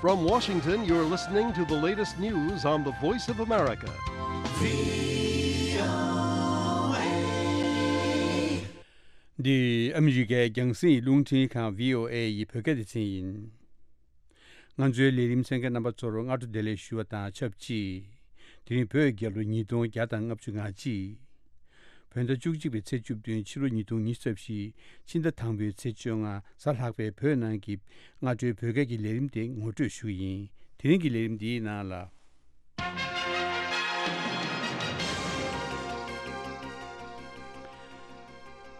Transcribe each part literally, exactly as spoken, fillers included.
From Washington, you're listening to the latest news on the Voice of America. འདི་ཨ་མི་རི་ཀའི་རྒྱང་སྲིང་རླུང་འཕྲིན་ཁང་བྷི་ཨོ་ཨེ་ཡི་བོད་སྐད་སྡེ་ཚན་ཡིན། ང་ཚོའི་ལས་རིམ་གསན་མཁན་རྣམ་པ་ཚོར་སྔ་དྲོ་བདེ་ལེགས་ཞུ་བ་དང་ཆབས་ཅིག་དེ་རིང་བོད་རྒྱལ་ལོ་ཉིས་སྟོང་བརྒྱ་དང་ལྔ་བཅུ་ང་གཅིག་བོད་ཟླ་བཅུ་གཅིག་པའི་ཚེས་བཅུ་བདུན། ཕྱི་ལོ་ཉིས་སྟོང་ཉི་ཤུ་རྩ་བཞི། ཕྱི་ཟླ་དང་པོའི་ཚེས་བཅོ་ལྔ། གཟའ་ལྷག་པའི་བོད་ནང་གི་སྔ་དྲོའི་བོད་སྐད་ཀྱི་ལས་རིམ་དེ་ངོ་སྤྲོད་ཞུ་གི་ཡིན། དེ་རིང་གི་ལས་རིམ་འདིའི་ནང་ལ།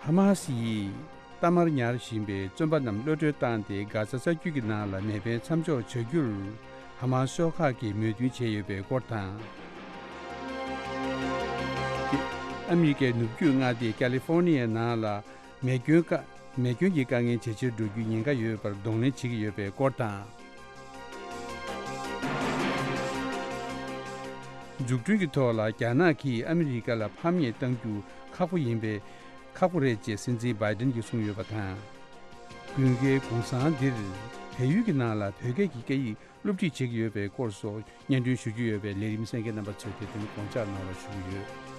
ཧ་མ་སི་ཡིས་གཏའ་མར་ཉར་བཞིན་པའི་བཙོན་པ་རྣམས་གློད་གྲོལ་བཏང་སྟེ། གྷ་ཛ་ས་རྒྱུད་ཀྱི་ནང་ལ་མེ་འཕེན་མཚམས་འཇོག་བྱ་རྒྱུར་ཧ་མ་སི་ཤོག་ཁག་གིས་མོས་མཐུན་བྱས་ཡོད་པའི་སྐོར་དང་། ཨ་མི་རི་ཀའི་ནུབ་རྒྱུད་མངའ་སྡེ་ཀ་ལི་ཧྥོར་ནི་ཡའི་ནང་ལ་མེ་སྐྱོན་ཀ་མེ་སྐྱོན་གྱི་དཀའ་ངལ་ཇེ་ཆེར་འགྲོ་རྒྱུའི་ཉེན་ཁ་ཡོད་པར་གདོང་ལེན་བྱེད་ཀྱི་ཡོད་པའི་སྐོར་དང་། འཛུགས་སྐྲུན་གྱི་ཐོག་ལ་རྒྱ་ནག་གིས་ཨ་མི་རི་ཀ་ལ་ཕམ་ཉེས་གཏང་རྒྱུ་ཁག་པོ་ཡིན་པས། ཁག་པོ་རེད་ཅེས་སྲིད་འཛིན་བྷའི་ཏིན་གྱིས་གསུངས་ཡོད་པ་དང་། དགུན་ཁའི་གུང་སེང་འདིར་བལ་ཡུལ་གྱི་ནང་ལ་བོད་སྐད་ཀྱི་སྐད་ཡིག་སློབ་ཁྲིད་བྱེད་ཀྱི་ཡོད་པའི་སྐོར་སོགས་སྙན་སྒྲོན་ཞུ་རྒྱུ་ཡོད་པས། ལས་རིམ་གསན་མཁན་རྣམ་པ་ཚོས་དེ་དོན་དགོངས་འཇགས་གནང་བ་ཞུ་གི་ཡོད།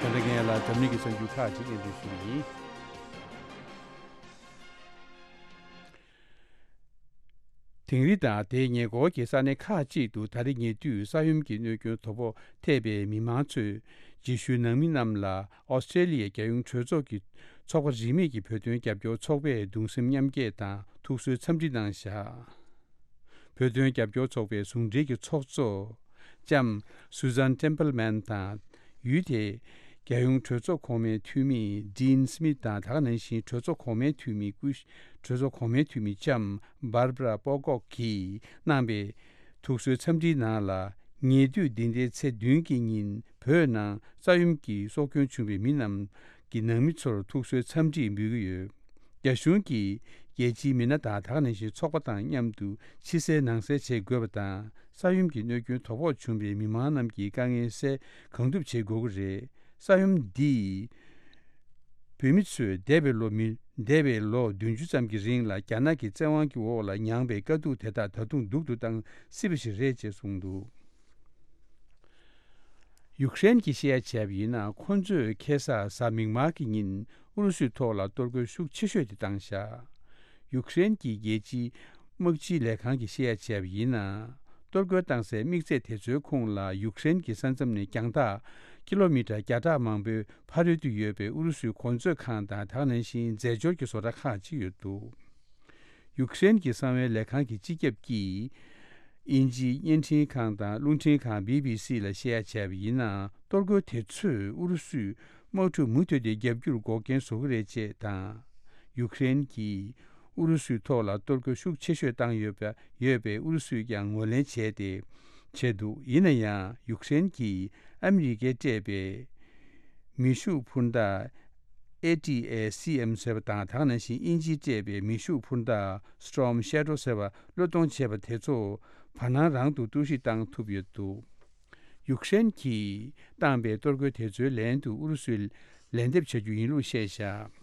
ད་ལྟ་ངས་ལ་འཛམ་གླིང་གི་གསར་འགྱུར་ཁག་ཅིག་སྙན་སྒྲོན་ཞུ་གི་ཡིན། དིང་རི་དང་དེའི་ཉེ་འཁོར་གྱི་ས་གནས་ཁག་ཅིག་ཏུ་ད་རེས་ཉེ་དུས་ས་ཡོམ་གྱི་གནོད་སྐྱོན་དོ་ཕོག་ཐེབས་པའི་མི་མང་ཚོས་རྗེས་ཤུལ་ནང་མི་རྣམས་ལ་ཨོ་སི་ཀྲེ་ལི་ཡའི་རྒྱལ་ཡོངས་གྲོས་ཚོགས་ཀྱི་ཚོགས་པ་རིས་མེད་ཀྱི་བོད་དོན་རྒྱབ་སྐྱོར་ཚོགས་པས་གདུང་སེམས་མཉམ་སྐྱེད་དང་ཐུགས་གསོའི་འཚམས་འདྲི་གནང་བཞག་བོད་དོན་རྒྱབ་སྐྱོར་ཚོགས་པའི་ཟུང་འབྲེལ་གྱི་ཚོགས་གཙོ་ལྕམ་Susan Templeman དང་། ཡུལ་དེའི་རྒྱལ་ཡོངས་གྲོས་ཚོགས་གོང་མའི་འཐུས་མི་Dean Smith དང་། ད་ག་ནང་བཞིན་གྲོས་ཚོགས་གོང་མའི་འཐུས་མི་སྐུ་གྲོས་ཚོགས་གོང་མའི་འཐུས་མི་ལྕམ་Barbara Pocock གིས་གནང་པའི་ཐུགས་གསོའི་འཚམས་འདྲིའི་ནང་ལ། ཉེ་དུས་འདི་ཟླའི་ཚེས་བདུན་གྱི་ཉིན་བོད་ནང་ས་ཡོམ་གྱིས་སྲོག་སྐྱོན་བྱུང་བའི་མི་རྣམས་ཀྱི་ནང་མི་ཚོར་ཐུགས་གསོའི་འཚམས་འདྲི་འབུལ་གྱི་ཡོད། རྒྱ་གཞུང་གིས་རྒྱལ་སྤྱིའི་མི་སྣ་དང་། ད་ག་ནང་བཞིན་ཚོགས་པ་དང་མཉམ་དུ་ཕྱི་གསལ་ནང་གསལ་བྱེད་དགོས་པ་དང་། ས་ཡོམ་གྱི་གནོད་སྐྱོན་དོ་ཕོག་བྱུང་བའི་མི་མང་རྣམས་ཀྱི་དཀའ་ངལ་སེལ་གང་ཐུབ་བྱེད་དགོས་ཀྱི་རེད། ས་ཡོམ་འདིས་བོད་མི་ཚོས་འདས་པའི་ལོ་མི་འདས་པའི་ལོ་བདུན་ཅུ་ཙམ་གྱི་རིང་ལ་རྒྱ་ནག་གི་བཙན་དབང་གི་འོག་ལ་མྱངས་པའི་དཀའ་སྡུག་དེ་དག་ད་དུང་སྡུག་ཏུ་བཏང་སྲིད་པ་ཞིག་རེད་ཅེས་གསུངས་འདུག་ཡུཀ་རེན་གྱིས་བཤད་ཡ་བྱས་པ་ཡིན་ན། ཁོ་ཚོས་ཁ་སང་གཟའ་མིག་དམར་གྱི་ཉིན་ཨུ་རུ་སུའི་ཐོག་ལ་གཏོར་རྒོལ་ཤུགས་ཆེ་ཤོས་དེ་བཏང་བཞག་ཡུཀ་རེན་གྱི་རྒྱལ་སྤྱིའི་དམག་སྤྱིའི་ལས་ཁང་གིས་བཤད་ཡ་བྱས་པ་ཡིན་ན། གཏོར་རྒོལ་བཏང་སའི་དམིགས་ཚད་དེ་ཚོའི་ཁོངས་ལ་ཡུཀ་རེན་གྱི་ས་མཚམས་ནས་རྒྱང་ཐག་ཀི་ལོ་མི་ཊར་བརྒྱ་ཕྲག་མང་པོའི་ཕ་རོལ་ཏུ་ཡོད་པའི་ཨུ་རུ་སུའི་གོ་མཛོད་ཁང་དང་། ད་ག་ནང་བཞིན་རྫས་སྦྱོར་གྱི་བཟོ་གྲྭ་ཁག་ཅིག་ཡོད་འདུག་ཡུཀ་རེན་གྱི་གསང་བའི་ལས་ཁང་གི་སྤྱི་ཁྱབ་ཀྱིས། དབྱིན་ཇིའི་བརྙན་འཕྲིན་ཁང་དང་རླུང་འཕྲིན་ཁང་བྷི་བྷི་སི་ལ་བཤད་ཡ་བྱས་པ་ཡིན་ན། གཏོར་རྒོལ་དེ་ཚོས་ཨུ་རུ་སུའི་དམག་འཁྲུག་མུ་མཐུད་དེ་བརྒྱབ་རྒྱུར་འགོག་རྐྱེན་བཟོ་གི་རེད་ཅེས་དང་། ཡུཀ་རེན་གྱིས་ཨུ་རུ་སུའི་ཐོག་ལ་གཏོར་རྒོལ་ཤུགས་ཆེ་ཤོས་བཏང་ཡོད་པ་ཡོད་པས། ཨུ་རུ་སུས་ཀྱང་ངོས་ལེན་བྱས་ཏེ་བྱས་འདུག་ཡིན་ན་ཡང་ཡུཀ་རེན་གྱིས་ཨ་མི་རི་ཀས་སྤྲད་པའི་མེ་ཤུགས་འཕུར་མདའ་ཨེ་ཊི་ཨེ་སི་ཨེམ་ཟེར་བ་དང་། ད་ག་ནང་བཞིན་དབྱིན་ཇིས་སྤྲད་པའི་མེ་ཤུགས་འཕུར་མདའ་Storm Shadow ཟེར་བ་བློས་གཏོང་བྱས་པ་དེ་ཚོ་བར་སྣང་རང་དུ་གཏོར་བཤིག་བཏང་ཐུབ་ཡོད་འདུག་ཡུཀ་རེན་གྱིས་བཏང་པའི་གཏོར་རྒོལ་དེ་ཚོའི་ལན་དུ་ཨུ་རུ་སུས་ལན་འདེབས་བྱ་རྒྱུ་ཡིན་ལུགས་བཤད་བཞག་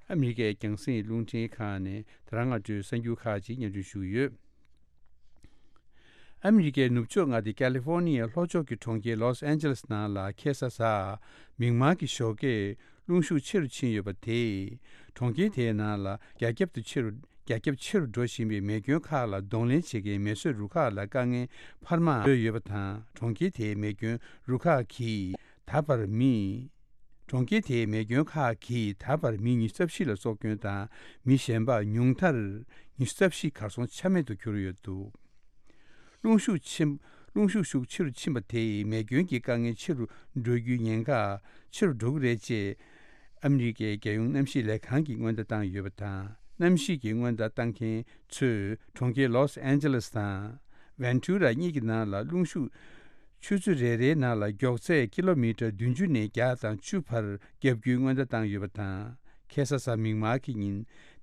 ཨ་མི་རི་ཀའི་རྒྱང་སྲིང་རླུང་འཕྲིན་ཁང་ནས་དེ་རིང་སྔ་དྲོའི་གསར་འགྱུར་ཁག་ཅིག་སྙན་སྒྲོན་ཞུ་གི་ཡོད། ཨ་མི་རི་ཀའི་ནུབ་ཕྱོགས་མངའ་སྡེ་ཀ་ལི་ཧྥོར་ནི་ཡའི་ལྷོ་ཕྱོགས་ཀྱི་གྲོང་ཁྱེར་ལོས་ཨན་ཇེ་ལེས་ནང་ལ་ཁ་སང་གཟའ་མིག་དམར་གྱི་ཞོགས་ཀས་རླུང་ཤུགས་ཆེ་རུ་ཕྱིན་ཡོད་པ་དེས། གྲོང་ཁྱེར་དེའི་ནང་ལ་རྒྱ་ཁྱབ་ཏུ་ཆེ་རུ་རྒྱ་ཁྱབ་ཆེ་རུ་འགྲོ་བཞིན་པའི་མེ་སྐྱོན་ཁག་ལ་གདོང་ལེན་བྱེད་མཁན་མེ་གསོད་རུ་ཁག་ལ་དཀའ་ངལ་འཕར་མ་བཟོས་ཡོད་པ་དང་། གྲོང་ཁྱེར་དེའི་མེ་སྐྱོན་རུ་ཁག་གིས་ད་བར་མི། གྲོང་ཁྱེར་དེའི་མེ་སྐྱོན་ཁག་གིས་ད་བར་མི་ཉི་ཤུ་རྩ་བཞི་ལ་སྲོག་སྐྱོན་དང་། མི་གཞན་པ་ཉུང་མཐར་ཉི་ཤུ་རྩ་བཞི་གར་སོང་ཆ་མེད་དུ་གྱུར་ཡོད་འདུག་རླུང་ཤུགས་ཆེན། རླུང་ཤུགས་ཤུགས་ཆེ་རུ་ཕྱིན་པ་དེས་མེ་སྐྱོན་གྱི་དཀའ་ངལ་ཆེ་རུ་འགྲོ་རྒྱུའི་ཉེན་ཁ་ཆེ་རུ་འགྲོ་གི་རེད་ཅེས་ཨ་མི་རི་ཀའི་རྒྱལ་ཡོངས་གནམ་གཤིས་ལས་ཁང་གིས་སྔོན་བརྡ་བཏང་ཡོད་པ་དང་། གནམ་གཤིས་ཀྱི་སྔོན་བརྡ་བཏང་མཁན་ཚོས་གྲོང་ཁྱེར་ལོས་ཨན་ཇེ་ལེས་དང་ཝན་ཊུ་ར་གཉིས་ཀྱི་ནང་ལ་རླུང་ཤུགས། ཆུ་ཚོད་རེ་རེའི་ནང་ལ་མགྱོགས་ཚད་ཀི་ལོ་མི་ཊར་བདུན་ཅུ་ནས་བརྒྱ་དང་བཅུ་བར་བརྒྱབ་རྒྱུའི་སྔོན་བརྡ་བཏང་ཡོད་པ་དང་། ཁ་སང་གཟའ་མིག་དམར་གྱི་ཉིན་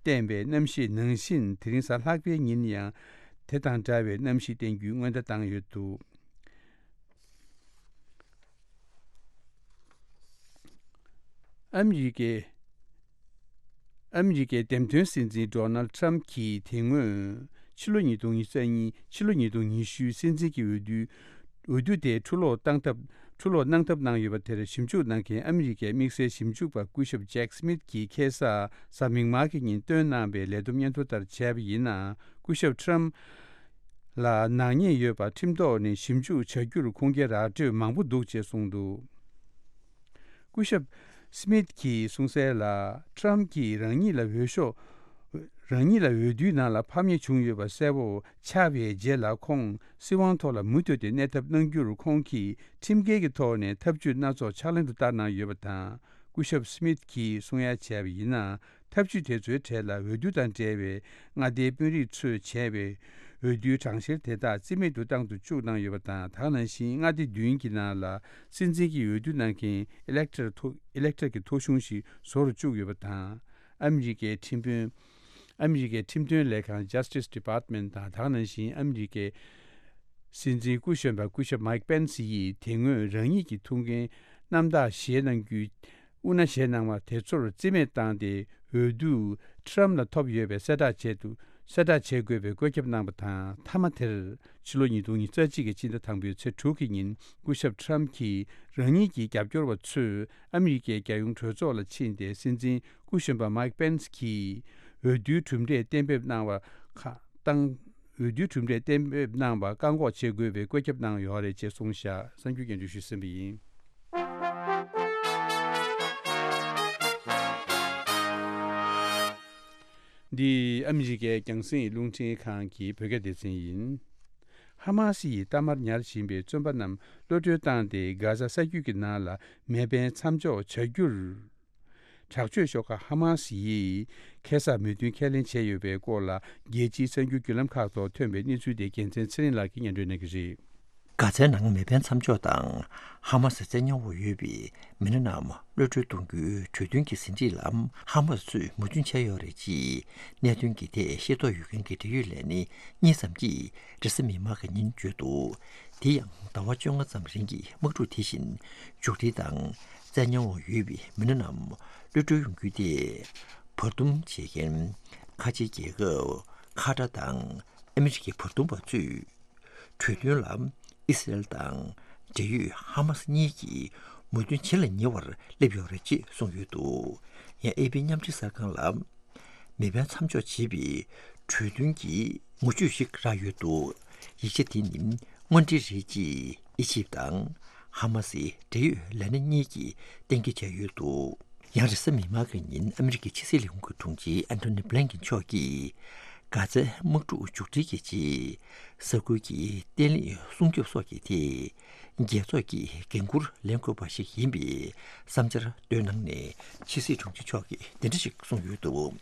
བསྟན་པའི་གནམ་གཤིས་ནང་བཞིན། དེ་རིང་གཟའ་ལྷག་པའི་ཉིན་ཡང་དེ་དང་འདྲ་བའི་གནམ་གཤིས་བསྟན་རྒྱུའི་སྔོན་བརྡ་བཏང་ཡོད་འདུག་ཨ་མི་རི་ཀའི། ཨ་མི་རི་ཀའི་འདེམས་ཐོན་སྲིད་འཛིན་ཌོ་ནལ་ཁྲམ་གྱིས་དེ་སྔོན་ཕྱི་ལོ་ཉིས་སྟོང་ཉི་ཤུ་རྩ་གཉིས། ཕྱི་ལོ་ཉིས་སྟོང་ཉི་ཤུའི་སྲིད་འཛིན་གྱི་འོས་བསྡུའི་འོས་བསྡུ་དེ་འཁྲུ་སློག་བཏང་ཐབས། འཁྲུ་སློག་གནང་ཐབས་གནང་ཡོད་པ་དེར་ཞིབ་འཇུག་གནང་མཁན་ཨ་མི་རི་ཀའི་དམིགས་བསལ་ཞིབ་འཇུག་པ་སྐུ་ཞབས་ཇེག་སི་མིད་ཀྱིས་ཁ་སང་གཟའ་མིག་དམར་གྱི་ཉིན་བཏོན་གནང་བའི་ལས་བསྡོམས་སྙན་ཐོ་ལྟར་བྱས་པ་ཡིན་ན། སྐུ་ཞབས་ཁྲམ་ལ་ནག་ཉེས་ཡོད་པ་ཁྲིམས་ཐོག་ནས་ཞིབ་འཇུག་བྱ་རྒྱུར་ཁུངས་སྐྱེལ་ར་སྤྲོད་མང་པོ་འདུག་ཅེས་གསུངས་འདུག་སྐུ་ཞབས་སི་མིད་ཀྱིས་གསུངས་གསལ་ལ། ཁྲམ་གྱིས་རང་ཉིད་ལ་འོས་ཤོག་རང་ཉིད་ལ་འོས་བསྡུའི་ནང་ལ་ཕམ་ཉེས་བྱུང་ཡོད་པ་གསལ་པོ་ཆགས་པའི་རྗེས་ལ། ཁོང་སྲིད་དབང་ཐོག་ལ་མུ་མཐུད་དེ་གནས་ཐབས་གནང་རྒྱུར་ཁོང་གིས་ཁྲིམས་འགལ་གྱི་ཐོག་ནས་ཐབས་ཇུས་སྣ་ཚོགས་ཕྱག་ལེན་དུ་བསྟར་གནང་ཡོད་པ་དང་། སྐུ་ཞབས་སི་མིད་ཀྱིས་གསུང་ཡ་བྱས་པ་ཡིན་ན། ཐབས་ཇུས་དེ་ཚོའི་གྲས་ལ་འོས་བསྡུ་དང་འབྲེལ་བའི་མངའ་སྡེའི་དཔོན་རིགས་ཚོས་བྱས་པའི་འོས་བསྡུའི་གྲངས་བཤེར་དེ་དག་རྩིས་མེད་དུ་བཏང་དུ་བཅུག་གནང་ཡོད་པ་དང་། ད་ག་ནང་བཞིན་མངའ་སྡེ་བདུན་གྱི་ནང་ལ་སྲིད་འཛིན་གྱི་འོས་བསྡུ་གནང་མཁན་ཨི་ལེག་ཊར་ཐོ་ཨི་ལེག་ཊར་གྱི་ཐོ་གཞུང་ཞིག་བཟོ་རུ་བཅུག་ཡོད་པ་དང་། ཨ་མི་རི་ཀའི་ཁྲིམས་དཔོན། ཨ་མི་རི་ཀའི་ཁྲིམས་དོན་ལས་ཁང་Justice Department དང་། ད་ག་ནང་བཞིན་ཨ་མི་རི་ཀའི་སྲིད་འཛིན་སྐུ་གཞོན་པ་སྐུ་ཞབས་མའིག་པེན་སི་ཡིས་དེ་སྔོན་རང་ཉིད་ཀྱི་ཐུགས་འགན་རྣམ་དག་བཞེས་གནང་རྒྱུའི་དབུ་མནའ་བཞེས་གནང་བ་དེ་ཚོར་རྩིས་མེད་བཏང་སྟེ། འོས་བསྡུ་ཁྲམ་ལ་ཐོབ་ཡོད་པའི་གསལ་བསྒྲགས་བྱས་འདུག་གསལ་བསྒྲགས་བྱེད་དགོས་པའི་བཀོད་ཁྱབ་གནང་བ་དང་། མཐའ་མ་དེར་ཕྱི་ལོ་ཉིས་སྟོང་ཉི་ཤུ་རྩ་གཅིག་གི་ཕྱི་ཟླ་དང་པོའི་ཚེས་དྲུག་གི་ཉིན། སྐུ་ཞབས་ཁྲམ་གྱིས་རང་ཉིད་ཀྱི་རྒྱབ་སྐྱོར་བ་ཚོས་ཨ་མི་རི་ཀའི་རྒྱལ་ཡོངས་གྲོས་ཚོགས་ལ་ཕྱིན་ཏེ། སྲིད་འཛིན་སྐུ་གཞོན་པ་མའིག་པེན་སི་གྱིས་འོས་བསྡུའི་གྲུབ་འབྲས་གཏན་འབེབས་གནང་བ་ཁག་བཏང་། འོས་བསྡུའི་གྲུབ་འབྲས་གཏན་འབེབས་གནང་བར་བཀག་འགོག་བྱེད་དགོས་པའི་བཀོད་ཁྱབ་གནང་ཡོད་རེད་ཅེས་གསུངས་བཞག་གསར་འགྱུར་སྙན་སྒྲོན་ཞུས་ཟིན་པ་ཡིན། འདི་ཨ་མི་རི་ཀའི་རྒྱང་སྲིང་རླུང་འཕྲིན་ཁང་གི་བོད་སྐད་སྡེ་ཚན་ཡིན། ཧ་མ་སི་ཡིས་གཏའ་མར་ཉར་བཞིན་པའི་བཙོན་པ་རྣམས་གློད་གྲོལ་བཏང་སྟེ། གྷ་ཟ་ས་རྒྱུད་ཀྱི་ནང་ལ་མེ་འཕེན་མཚམས་འཇོག་བྱ་རྒྱུར། དྲག་སྤྱོད་ཤོག་ཁག་ཧ་མ་སི་ཡིས་ཁ་སང་མོས་མཐུན་ཁས་ལེན་བྱས་ཡོད་པའི་སྐོར་ལ། རྒྱལ་སྤྱིའི་གསར་འགྱུར་བརྒྱུད་ལམ་ཁག་ཐོག་ཐོན་པའི་གནས་ཚུལ་དེ་རྒྱལ་མཚན་ཚེ་རིང་ལགས་ཀྱིས་སྙན་སྒྲོན་གནང་གི་རེད། གྷ་ཛའི་ནང་མེ་འཕེན་མཚམས་འཇོག་དང་ཧ་མ་སི་བཙན་ཉར་འོག་ཡོད་པའི་མི་སྣ་རྣམས་གློད་གྲོལ་གཏོང་རྒྱུའི་གྲོས་མཐུན་གྱི་ཟིན་བྲིས་ལ་ཧ་མ་སི་ཚོས་མོས་མཐུན་བྱས་ཡོད་རེད་ཅེས་གནད་དོན་གྱི་ཐད་ཤེས་རྟོགས་ཡོད་མཁན་གྱི་འབྲེལ་ཡོད་ལས་སྣེ་གཉིས་ཙམ་གྱིས་རེས་གཟའ་མིག་དམར་གྱི་ཉིན་བརྗོད་འདུག་དེ་ཡང་ཟླ་བ་བཅོ་ལྔ་ཙམ་རིང་གི་དམག་འཁྲུག་དེ་བཞིན་མཇུག་སྒྲིལ་དང་། བཙན་ཉར་འོག་ཡོད་པའི་མི་སྣ་རྣམས་གློད་གྲོལ་ཡོང་རྒྱུ་དེ་བར་འདུམ་བྱེད་མཁན་ཁ་ཆེའི་རྒྱལ་ཁབ་ཁ་ཏར་དང་ཨ་མི་རི་ཀའི་བར་འདུམ་པ་ཚོས་གྲོས་མཐུན་ལ་ཨི་སི་རལ་དང་འབྲེལ་ཡོད་ཧ་མ་སི་གཉིས་ཀྱིས་མོས་མཐུན་ཇི་ལ་ཉེ་བར་སླེབས་ཡོད་རེད་ཅེས་གསུངས་ཡོད་འདུག་ཡང་ཨེ་པི་མཉམ་འབྲེལ་གསར་ཁང་ལ། མེ་འཕེན་མཚམས་འཇོག་བྱེད་པའི་གྲོས་མཐུན་གྱི་ངོ་བཤུས་ཤིག་རག་ཡོད་འདུག་ཡིག་ཆ་དེ་ནི་དངོས་འབྲེལ་རེད་ཅེས་ཨི་ཇིབ་དང་ཧ་མ་སིའི་འབྲེལ་ཡོད་ལས་སྣེ་གཉིས་ཀྱིས་གཏན་འཁེལ་བྱས་ཡོད་འདུག་ཡང་རེས་གཟའ་མིག་དམར་གྱི་ཉིན་ཨ་མི་རི་ཀའི་ཕྱི་སྲིད་ལས་ཁུངས་ཀྱི་དྲུང་ཆེ་ཨན་ཐོ་ནི་བྷི་ལན་ཀིན་མཆོག་གིས་གྷ་ཛའི་དམག་འཁྲུག་མཇུག་སྒྲིལ་གྱི་རྗེས་ས་ཁུལ་གྱི་བརྟན་ལྷིང་སྲུང་སྐྱོབ་སོགས་ཀྱི་ཐད། རྒྱལ་ཚོགས་ཀྱི་འགན་ཁུར་ལེན་དགོས་པ་ཞིག་ཡིན་པའི་བསམ་འཆར་བཏོན་གནང་ནས། ཕྱི་སྲིད་དྲུང་ཆེ་མཆོག་གིས་འདི་འདྲ་ཞིག་གསུངས་ཡོད་འདུག་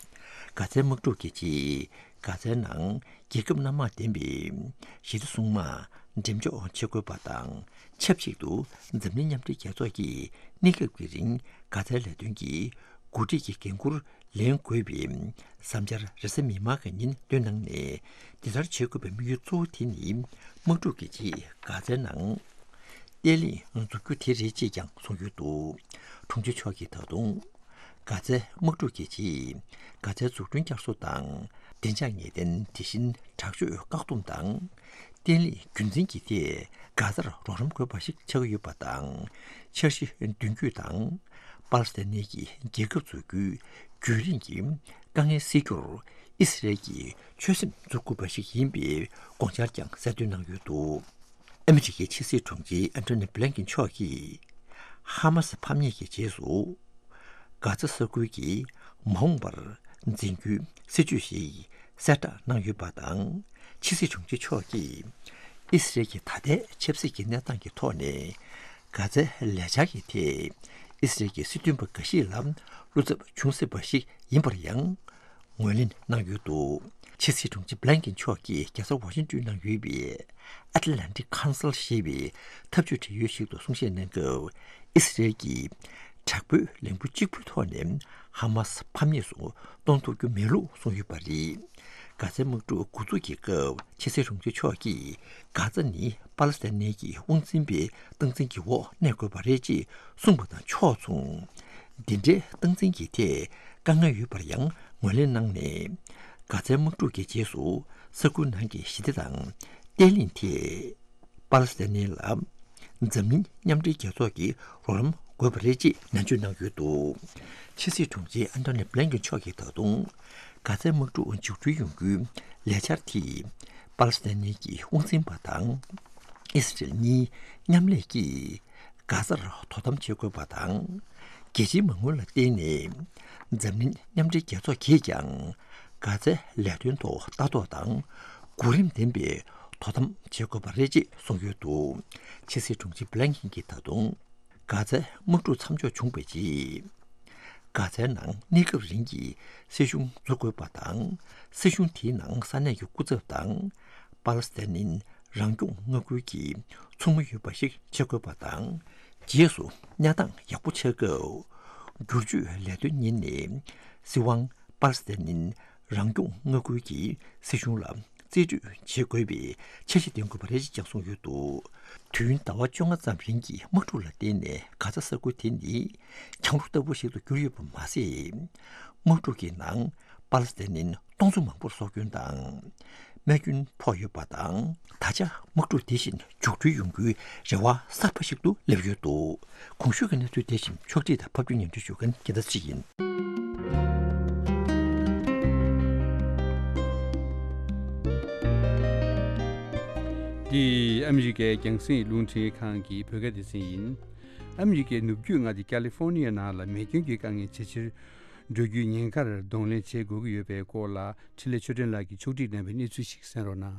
གྷ་ཛའི་དམག་འཁྲུག་གི་རྗེས་གྷ་ཛའི་ནང་རྒྱལ་ཁབ་སྣ་མང་ལྡན་པའི་ཞི་བདེ་སྲུང་དམག་འགྲེམས་འཇོག་བྱེད་དགོས་པ་དང་། ཆབས་ཅིག་ཏུ་འཛམ་གླིང་མཉམ་འབྲེལ་རྒྱལ་ཚོགས་ཀྱིས་གནས་སྐབས་ཀྱི་རིང་གྷ་ཛའི་ལས་དོན་གྱི་འགོ་ཁྲིད་ཀྱི་འགན་ཁུར་ལེན་དགོས་པའི་བསམ་འཆར་རེས་གཟའ་མིག་དམར་གྱི་ཉིན་བཏོན་གནང་ནས། འདི་ལྟར་བྱེད་དགོས་པའི་དམིགས་ཡུལ་གཙོ་བོ་དེ་ནི་དམག་འཁྲུག་གི་རྗེས་གྷ་ཛའི་ནང་བརྟན་ལྷིང་འཛུགས་རྒྱུ་དེ་རེད་ཅེས་ཀྱང་གསུངས་ཡོད་འདུག་དྲུང་ཆེ་མཆོག་གིས་ད་དུང་གྷ་ཛའི་དམག་འཁྲུག་གི་རྗེས་གྷ་ཛའི་འཛུགས་སྐྲུན་བསྐྱར་གསོ་དང་། བདེ་འཇགས་ངེས་གཏན། དེ་བཞིན་དྲག་སྤྱོད་བཀག་སྡོམ་དང་། བརྟན་ལྷིང་རྒྱུན་འཛིན་གྱི་ཐད་གྷ་ཛར་རོགས་རམ་དགོས་པ་ཞིག་ཆགས་ཀྱི་ཡོད་པ་དང་། འཆར་གཞི་མདུན་སྐྱོད་དང་། པ་ལི་སི་ཐན་གྱི་རྒྱལ་ཁབ་འཛུགས་རྒྱུའི་རྒྱུན་རིང་གི་དཀའ་ངལ་སེལ་རྒྱུར་ཨི་སི་རལ་གྱིས་ཆོད་སེམས་འཛུགས་དགོས་པ་ཞིག་ཡིན་པའི་དགོངས་འཆར་ཀྱང་གསལ་སྟོན་གནང་ཡོད་འདུག་ཨ་མི་རི་ཀའི་ཕྱི་སྲིད་དྲུང་ཆེ་ཨན་ཐོ་ནི་བྷི་ལན་ཀིན་མཆོག་གིས་ཧ་མ་སི་ཕམ་ཉེས་ཀྱི་རྗེས་སུ། གྷ་ཛ་ས་ཁུལ་གྱི་མ་འོངས་པར་འཛིན་རྒྱུའི་སྲིད་བྱུས་ཤིག་གསལ་བསྒྲགས་གནང་ཡོད་པ་དང་། ཕྱི་སྲིད་དྲུང་ཆེ་མཆོག་གིས་ཨི་སི་རལ་གྱི་ད་ལྟའི་ཆབ་སྲིད་ཀྱི་གནས་སྟངས་ཀྱི་ཐོག་ནས་གྷ་ཛའི་ལས་འཆར་གྱི་ཐད་ཨི་སི་རལ་གྱི་སྲིད་དོན་པ་འགའ་ཞིག་ལ་བློ་འཚབ་བྱུང་སྲིད་པ་ཞིག་ཡིན་པར་ཡང་ངོས་ལེན་གནང་ཡོད་འདུག་ཕྱི་སྲིད་དྲུང་ཆེ་བྷི་ལན་ཀིན་མཆོག་གིས་རྒྱལ་ས་ཝ་ཤིང་ཏོན་ནང་ཡོད་པའི་Atlantic Council ཞེས་པའི་འཐབ་ཇུས་འབྲེལ་ཡོད་ཞིག་ཏུ་གསུང་བཤད་གནང་སྐབས། ཨི་སི་རལ་གྱིས་དྲག་པོའི་ལས་འགུལ་གཅིག་པུའི་ཐོག་ནས་ཧ་མ་སི་ཕམ་ཉེས་སུ་གཏོང་ཐུབ་རྒྱུ་མེད་ལུགས་གསུངས་ཡོད་པ་རེད། གྷ་ཛའི་དམག་འཁྲུག་འགོ་འཛུགས་ཀྱི་སྐབས་ཕྱི་སྲིད་དྲུང་ཆེ་མཆོག་གིས་གྷ་ཛ་ནི་པ་ལི་སི་ཐན་གྱི་དབང་འཛིན་པའི་སྟངས་འཛིན་གྱི་འོག་གནས་དགོས་པ་རེད་ཅེས་གསུངས་པ་དང་ཕྱོགས་མཚུངས། འདི་འདྲའི་སྟངས་འཛིན་གྱི་ཐད་ དཀའ་ངལ་ཡོད་པར་ཡང་ངོས་ལེན་གནང་ནས། གྷ་ཛའི་དམག་འཁྲུག་གི་རྗེས་སུ་ས་ཁུལ་ནང་གི་ཞི་བདེ་དང་བརྟན་ལྷིང་ཐད་པ་ལི་སི་ཐན་ལ་འཛམ་གླིང་མཉམ་འབྲེལ་རྒྱལ་ཚོགས་ཀྱི་རོགས་རམ་དགོས་པ་རེད་ཅེས་ནན་བརྗོད་གནང་ཡོད་འདུག། ཕྱི་སྲིད་དྲུང་ཆེ་ཨན་ཐོ་ནི་བྷི་ལན་ཀིན་མཆོག་གིས་ད་དུང་གྷ་ཛའི་དམག་འཁྲུག་མཇུག་སྒྲིལ་ཡོང་རྒྱུའི་ལས་འཆར་དེས་པ་ལི་སི་ཐན་གྱི་དབང་འཛིན་པ་དང་ཨི་སི་རེལ་གཉིས་མཉམ་ལས་ཀྱིས་གྷ་ཛར་དོ་དམ་བྱེད་དགོས་པ་དང་། རྒྱལ་སྤྱིའི་མ་དངུལ་ལ་བརྟེན་ནས་འཛམ་གླིང་མཉམ་འབྲེལ་རྒྱལ་ཚོགས་ཀྱིས་ཀྱང་གྷ་ཛའི་ལས་དོན་ཐོག་ལྟ་རྟོག་དང་གོ་རིམ་ལྡན་པའི་དོ་དམ་བྱེད་དགོས་པ་རེད་ཅེས་གསུངས་ཡོད་འདུག། ཕྱི་སྲིད་དྲུང་ཆེ་བྷི་ལན་ཀིན་གྱིས་ད་དུང་གྷ་ཛའི་དམག་འཁྲུག་མཚམས་འཇོག་བྱུང་བའི་རྗེས། གྷ་ཛའི་ནང་གནས་སྐབས་རིང་གི་སྲིད་གཞུང་འཛུགས་དགོས་པ་དང་། སྲིད་གཞུང་དེའི་ནང་ས་གནས་ཀྱི་སྐུ་ཚབ་དང་། པ་ལི་སི་ཐན་རང་སྐྱོང་མངའ་ཁུལ་གྱི་ཚོགས་མི་ཡོད་པ་ཞིག་བྱེད་དགོས་པ་དང་། རྗེས་སུ་གནས་སྟངས་ཡག་པོ་ཆགས་སྐབས། བསྒྱུར་བཅོས་ལས་དོན་གཉེར་ནས་སྲིད་དབང་པ་ལི་སི་ཐན་རང་སྐྱོང་མངའ་ཁུལ་གྱི་སྲིད་གཞུང་ལ་རྩིས་སྤྲོད་བྱེད་དགོས་པའི་འཆར་གཞི་འདོན་དགོས་པ་རེད་ཅེས་ཀྱང་གསུངས་ཡོད་འདུག། དུས་ཡུན་ཟླ་བ་བཅོ་ལྔ་ཙམ་རིང་གི་དམག་འཁྲུག་ལ་བརྟེན་ནས་གྷ་ཛ་ས་ཁུལ་དེ་ནི་གྱང་རོ་ལྟ་བུ་ཞིག་ཏུ་གྱུར་ཡོད་པ་མ་ཟད། དམག་འཁྲུག་གི་ནང་པ་ལི་སི་ཐན་སྟོང་ཚོ་མང་པོར་སྲོག་སྐྱོན་དང་རྨས་སྐྱོན་ཕོག་ཡོད་པ་དང་། ད་ཆ་དམག་འཁྲུག་དེ་བཞིན་མཇུག་སྒྲིལ་ཡོང་རྒྱུའི་རེ་བ་གསར་པ་ཞིག་ཏུ་སླེབས་ཡོད་འདུག། གོང་ཞུས་ཀྱི་གནས་ཚུལ་དེ་བཞིན་ཕྱོགས་སྒྲིག་དང་ཕབ་སྒྱུར་སྙན་སྒྲོན་ཞུ་མཁན་རྒྱལ་ཐར་ཚེ་རིང་ཡིན། འདི་ཨ་མི་རི་ཀའི་རྒྱང་སྲིང་རླུང་འཕྲིན་ཁང་གི་བོད་སྐད་སྡེ་ཚན་ཡིན། ཨ་མི་རི་ཀའི་ནུབ་རྒྱུད་མངའ་སྡེ་ཀ་ལི་ཧྥོ་ནི་ཡ་ནང་ལ་མེ་སྐྱོན་གྱི་དཀའ་ངལ་ཇེ་ཆེར་འགྲོ་རྒྱུའི་ཉེན་ཁར་གདོང་ལེན་བྱེད་དགོས་ཀྱི་ཡོད་པའི་སྐོར་ལ་འཕྲིན་ལས་ཆོས་སྒྲོན་ལགས་ཀྱིས་ཕྱོགས་སྒྲིག་གནང་བའི་གནས་ཚུལ་ཞིག་གསན་རོགས་གནང་།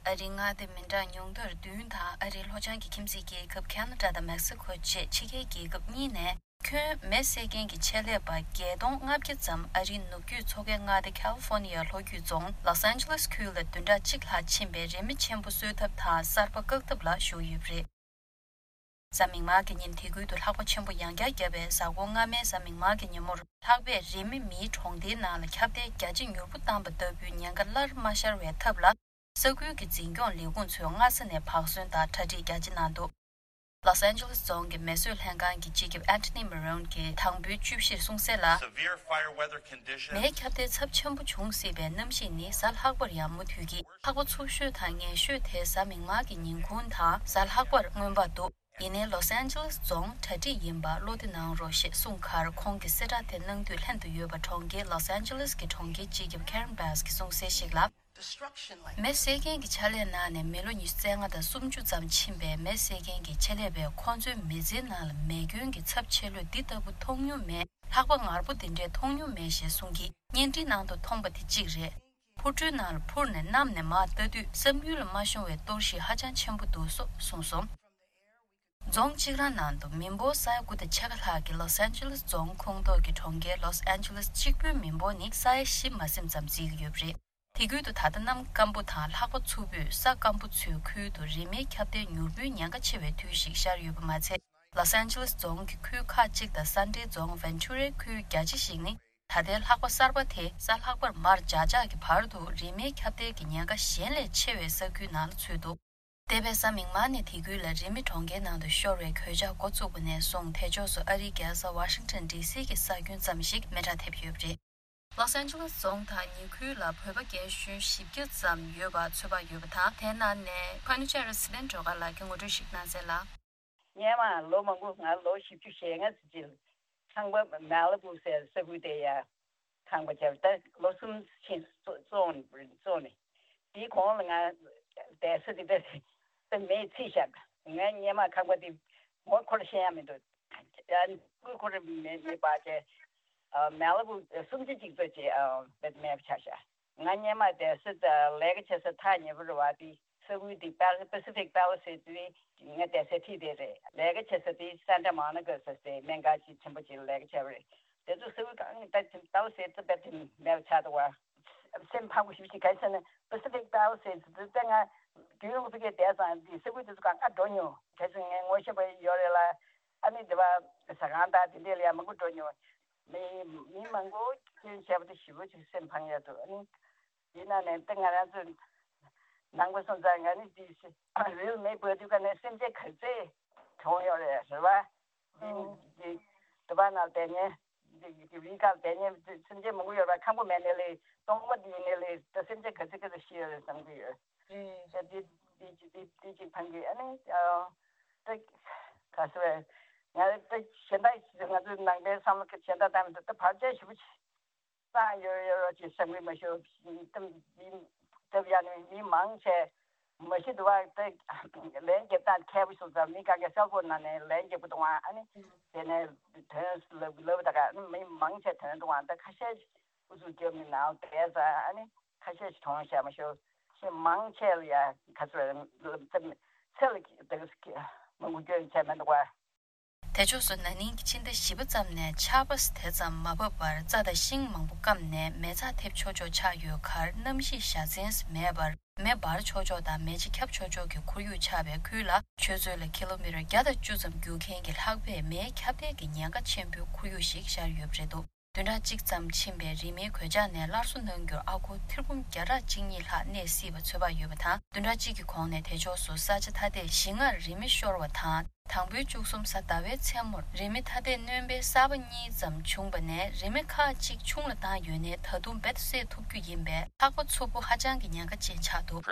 ཨ་རིའི་མངའ་སྡེ་མི་གྲངས་ཉུང་མཐར་བདུན་དང་ཨ་རིའི་ལྷོ་བྱང་གི་ཁྱིམ་མཚེས་རྒྱལ་ཁབ་ཁ་ན་ཌ་དང་མེག་སི་ཁོ་བཅས་ཕྱི་རྒྱལ་རྒྱལ་ཁབ་གཉིས་ནས་ཁྱོན་མེ་བསད་མཁན་གྱི་ཆེད་ལས་པ་བརྒྱད་སྟོང་ལྔ་བརྒྱ་ཙམ་ཨ་རིའི་ནུབ་རྒྱུད་མཚོ་ཁའི་མངའ་སྡེ་ཁ་ལི་ཧྥོ་ནི་ཡ་ལྷོ་རྒྱུད་རྫོང་ལོས་ཨན་ཇེ་ལིས་ཁུལ་ལ་བདུན་ཕྲག་གཅིག་ལྷག་ཕྱིན་པའི་རི་མེ་ཆེན་པོ་གསོད་ཐབས་དང་གསར་པ་བཀག་ཐབས་ལ་ཞུགས་ཡོད་པ་རེད། གཟའ་མིག་དམར་གྱི་ཉིན་དེ་ཁུལ་དུ་ལྷགས་པ་ཆེན་པོ་ཡང་བསྐྱར་བརྒྱབ་པའི་གཟའ་འཁོར་སྔ་མའི་གཟའ་མིག་དམར་གྱི་ཉིན་མོར་ལྷགས་པས་རི་མེ་མིའི་གྲོང་སྡེའི་ནང་ལ་ཁྱབ་གདལ་རྒྱ་ཇེ་མྱུར་པོ་བཏང་པ་ལྟ་བུའི་ཉེན་ཁ་སླར་མ་ཤར་བའི་ཐབས་ལ། ས་ཁུལ་གྱི་འཛིན་སྐྱོང་ལས་ཁུངས་ཚོས་སྔ་ས་ནས་བག་ཟོན་དང་གྲ་སྒྲིག་རྒྱ་ཆེ་གནང་འདུག། ལོས་ཨན་ཇེ་ལིས་རྫོང་གི་མེ་གསོད་ལྷན་ཁང་གི་སྤྱི་ཁྱབ་ཨན་ཐོ་ནི་མ་རོན་གྱིས་དང་པོའི་བཅུ་བཞིར་གསུངས་གསལ་ལ། Severe fire weather conditions. མེའི་ཁྱབ་གདལ་ཚབས་ཆེན་པོ་འབྱུང་སྲིད་པའི་གནམ་གཤིས་ནི་གཟའ་ལྷག་པར་ཡང་མུ་མཐུད་ཀྱིས་ལྷགས་པ་འཚུབ་ཤོས་དང་ངན་ཤོས་དེ་གཟའ་མིག་དམར་གྱི་ཉིན་གུང་དང་གཟའ་ལྷག་པར་མངོན་པར་འདུག། ཡིན་ནའི་ལོས་ཨན་ཇེ་ལིས་རྫོང་གྲ་སྒྲིག་ཡིན་པར་བློ་བདེ་གནང་རོགས་ཞེས་གསུངས་ཁར། ཁོང་གིས་གསལ་བསྒྲགས་དེ་གནང་དུས་ལྷན་དུ་ཡོད་པ་གྲོང་ཁྱེར་ལོས་ཨན་ཇེ་ལིས་ཀྱི་གྲོང་ཁྱེར་སྤྱི་ཁྱབ་ཁེ་རན་བྷེ་སི་གིས་གསུངས་གསལ་ཞིག་ལ། མེ་བསད་མཁན་གྱི་ཕྱག་ལས་གནང་ནས་མི་ལོ་ཉི་ཤུ་རྩ་ལྔ་དང་སུམ་ཅུ་ཙམ་ཕྱིན་པའི་མེ་བསད་མཁན་གྱི་ཆེད་ལས་པས་ཁོང་ཚོའི་མི་ཚེའི་ནང་ལ་མེ་སྐྱོན་གྱི་ཚབས་ཆེ་ལོས་འདི་ལྟ་བུ་མཐོང་མྱོང་མེད། ལྷགས་པ་ངར་པོ་འདི་འདྲའི་མཐོང་མྱོང་མེད་ཞེས་གསུངས་ཀྱིས། བརྙན་འཕྲིན་ནང་དུ་མཐོང་པ་དེ་གཅིག་རེད། འཕུར་གྲུའི་ནང་ལ་འཕུར་ནས་གནམ་ནས་མར་ལྟ་དུས་བསམ་ཡུལ་ལ་མ་ཤོང་བའི་གཏོར་བཤིག་ཧ་ཅང་ཆེན་པོ་འདུག་སོགས་གསུངས་སོང་། རྫོང་གཅིག་རང་ནང་དུ་མི་འབོར་ས་ཡ་དགུ་དང་ཕྱེད་ཀ་ལྷག་གི་ལོས་ཨན་ཇེ་ལིས་རྫོང་ཁོངས་གཏོགས་ཀྱི་གྲོང་ཁྱེར་ལོས་ཨན་ཇེ་ལིས་གཅིག་པུའི་མི་འབོར་ནི་ས་ཡ་བཞི་མ་ཟིན་ཙམ་བརྩི་གི་ཡོད་པ་རེད། དེ་ཁུལ་དུ་ད་ལྟ་གནམ་སྐམ་པོ་དང་ལྷགས་པ་འཚུབ་པོས་ས་སྐམ་པོ་ཚོའི་ཁུལ་དུ་རི་མེའི་ཁྱབ་གདལ་མྱུར་པོའི་ཉེན་ཁ་ཆེ་བའི་དུས་ཤིག་ཤར་ཡོད་པ་མ་ཚད། ལོས་ཨན་ཇེ་ལིས་རྫོང་གི་ཁུལ་ཁག་ཅིག་དང་ས་འབྲེལ་རྫོང་ཝེན་ཆུ་རའི་ཁུལ་རྒྱ་ཆེ་ཞིག་ནི་ད་ལྟའི་ལྷགས་པ་གསར་པ་དེ་གཟའ་ལྷག་པར་མར་འཇགས་འཇགས་ཀྱི་བར་དུ་རི་མེའི་ཁྱབ་གདལ་གྱི་ཉེན་ཁ་གཞན་ལས་ཆེ་བའི་ས་ཁུལ་ནང་ལ་ཚུད་འདུག། འདས་པའི་གཟའ་མིག་དམར་ནས་དེ་ཁུལ་ལ་རི་མེ་གྲོང་ཁྱེར་ནང་དུ་ཤོར་བའི་གོད་ཆག་འགོ་བཙུགས་པ་ནས་བཟུང་། དེ་ཕྱོགས་སུ་ཨ་རིའི་རྒྱལ་ས་ཝ་ཤིང་ཊོན་ཌི་སི་གི་ས་ཁྱོན་ཙམ་ཞིག་མེ་དྲག་ཐེབས་ཡོད་པ་རེད། ལོས་ཨན་ཇེ་ལིས་རྫོང་དང་ཉེ་ཁུལ་ལ་བོད་པ་རྒན་གཞོན་བཞི་བརྒྱ་ཙམ་ཡོད་པ་ཚོད་དཔག་ཡོད་པ་དང་། དེའི་ནང་ནས་ཕ་ནུ་ཅ་ར་སི་ལེན་སྒྲོལ་དཀར་ལགས་ཀྱིས་ངོ་སྤྲོད་ཞིག་གནང་གསལ་ལ། སྔོན་མ་ལོ་མང་པོ། ང་ལོ་བཞི་བཅུ་ཞེ་ལྔ་ཙམ་ཅིག་ཁང་པ་མ་ལི་བུ་ཟེར་ས་ཁུལ་དེ་ཡ་ཁང་པ་བརྒྱབ། ད་ལོ་གསུམ་ཕྱིན་བཙོངས་ནས། བཙོངས་ནས་དེའི་གོང་ལ་ང་བསྡད་ས་དེ་ད་ད་མེས་ཚིག་བཞག། ང་སྔོན་མ་ཁང་པ་དེ་ངོ་འཁོར་ཤེས་ཡ་མི་འདུག། ཡ་ངོ་འཁོར་མེད་མེད་པ་བྱས། མ་ལི་བུ་སུམ་ཆ་གཅིག་ཙམ་ཅིག་བེད་མེད་པ་ཆགས་ཤག། ང་སྔོན་མ་བསྡད་ས་དང་ལས་ཀ་བྱེད་ས་ཐག་ཉེ་པོ་རེད་པ། དེ་ས་ཁུལ་དེ་པེ་ལི་སི་ཕེ་སི་ཕིག་པེ་ལི་སི་ཌི་ཟེར་དུས་ང་བསྡད་ས་དེ་དེ་རེད། ལས་ཀ་བྱེད་ས་དེ་སན་ཊ་མོ་ནི་ཀ་ཟེར་སའི་སྨན་ཁང་ཅིག་ཆེན་པོ་ཅིག་ལ་ལས་ཀ་བྱས་པ་རེད། དེ་ཚོ་ས་ཁུལ་གང་ད་པེ་ལི་སི་ཌི་དེ་དཔེ་དེ་མེད་པ་ཆགས་འདུག་པ། སེམས་ཕངས་པོ་ཞེ་པོ་ཅིག། ག་རེ་ཟེར་ན་པེ་སི་ཕིག་པེ་ལི་སི་ཌི་དེ་ང་རྒྱུན་རིང་པོ་ཕ་གིར་བསྡད་ཙང་དེ་ས་ཁུལ་དེ་ཚོ་གང་ག་འགྲོ་མྱོང་། ག་རེ་ཟེར་ན་ངས་ངོ་ཤེས་པ་ཡོད་རེད་ལ། ཨ་ནི་དེ་པ་ཟ་ཁང་དང་དེ་འདྲས་ལ་ཡང་མང་པོ་འགྲོ་མྱོང་། མི་མི་མང་པོ་སྐྱོན་བྱས་པ་དེ་ཞེ་པོ་ཅིག་སེམས་ཕངས་ཡ་འདུག། ཨ་ནི། དེ་ནང་ནས་ད་ང་རང་ཚོ་ནང་པ་སོང་ཙང་ང་ནི་དེ་རིལ་མེ་འབར་དུས་ཀ་ནས་སེམས་ཅན་ག་ཚད་གྲོངས་ཡོད་རེད། རེད་བ། འདི་འདི་དུ་བ་ནང་བསྡད་མཁན་ རི་ཁར་བསྡད་མཁན་སེམས་ཅན་མང་པོ་ཡོད་པ། ཁམས་པ་མེད་ནའི་ལས་སྟོང་པ་འདི་ཡིན་ནའི་ལས་ད་སེམས་ཅན་ག་ཚོད་ག་ཚོད་ཤི་ཡོད་རེད་བསམ་གྱི་ཡོད། རེད། ད་འདི་འདི་འདི་འདི་གཅིག་ཕན་གྱི། ཨ་ནི་ཨ་ད་ག་ཟེར་བས། ང་ད་གཞན་དག་ང་ཚོའི་ནང་པའི་བསམ་བློ་གཞན་དག་བཏང་ན་ད་བར་ཆད་ཞེ་པོ་ཅིག་བཏང་ཡོད་ཡོད་རོགས་ཅེས་བསམ་གྱི་མ་ཤོར། ད་མི་སྟབས་ཡག་ནས་མི་མང་ཆེ་མ་ཤི་འདུག་བ། ད་ལན་རྒྱབ་སྟངས་མཁས་པོ་ཞིག་དང་མི་ག་གེ་སེལ་ཕོན་ནང་ནས་ལན་རྒྱབ་ཀྱི་འདུག་བ། ཨ་ནི་དེ་ནས་དོན་ལབ་ལབ་ད་ག་མི་མང་ཆེ་དོན་འདུག་བ། ད་ཁ་ཤས་ཨུ་ཚུགས་རྒྱབ་ནས་ནང་བསྡད་ཙང་། ཨ་ནི་ཁ་ཤས་ཤིག་གྲོངས་ཤག་མ་ཤོར། ཞེ་མང་ཆེ་ལ་ཡ་ག་ཚོད་ཚེ་ལ་ད་ག་མང་པོ་སྐྱོན་བྱས་མི་འདུག་བ། དེ་ཕྱོགས་སུ་ན་ནིང་གི་ཕྱི་ཟླ་བཞི་པ་ཙམ་ནས་ཆར་པ་དེ་ཙམ་མ་བབས་པར་རྩྭ་དང་ཤིང་མང་པོ་སྐམ་ནས་མེ་བཙའ་ཐེབས་ཆོག་ཆོག་ཆགས་ཡོད་ཁར། གནམ་གཤིས་བཞའ་ཚན་མེད་པར་མེ་འབར་ཆོག་ཆོག་དང་མེ་ལྕེ་ཁྱབ་ཆོག་ཆོག་གི་ཁོར་ཡུག་ཆགས་པའི་ཁུལ་ལ། ཆུ་ཚོད་ལ་ཀི་ལོ་མི་ཊར་བརྒྱ་དང་བཅུ་ཙམ་རྒྱུག་མཁན་གྱི་ལྷགས་པས་མེའི་ཁྱབ་གདལ་གྱི་ཉེན་ཁ་ཆེན་པོའི་ཁོར་ཡུག་ཞིག་ཤར་ཡོད་པ་རེད་འདུག་བདུན་ཕྲག་གཅིག་ཙམ་ཕྱིན་པའི་རི་མེའི་གོད་ཆག་ནས་སླར་གསོ་གནང་རྒྱུར་ཨ་སྒོར་ཐེར་འབུམ་བརྒྱ་ཕྲག་གཅིག་གཉིས་ལྷག་གནས་སྲིད་པ་ཚོད་དཔག་ཡོད་པ་དང་། བདུན་ཕྲག་གཅིག་གི་གོང་ནས་དེ་ཕྱོགས་སུ་ས་ཆ་ཐ་དད་བཞི་ལྔར་རི་མེ་ཤོར་བ་དང་། དང་པོའི་བཅུ་གསུམ་གཟའ་ཟླ་བའི་མཚན་མོར་རི་མེ་ཐ་དད་སྣོན་པའི་གསར་པ་གཉིས་ཙམ་བྱུང་བ་ནས། རི་མེ་ཁག་ཅིག་ཆུང་ལ་བཏང་ཡོད་ནའི་ད་དུང་རྦད་དེ་བསད་ཐུབ་རྒྱུ་ཡིན་པས། ལྷགས་པ་འཚུབ་པོ་ཧ་ཅང་གི་ཉེན་ཁ་ཅན་ཆགས་འདུག་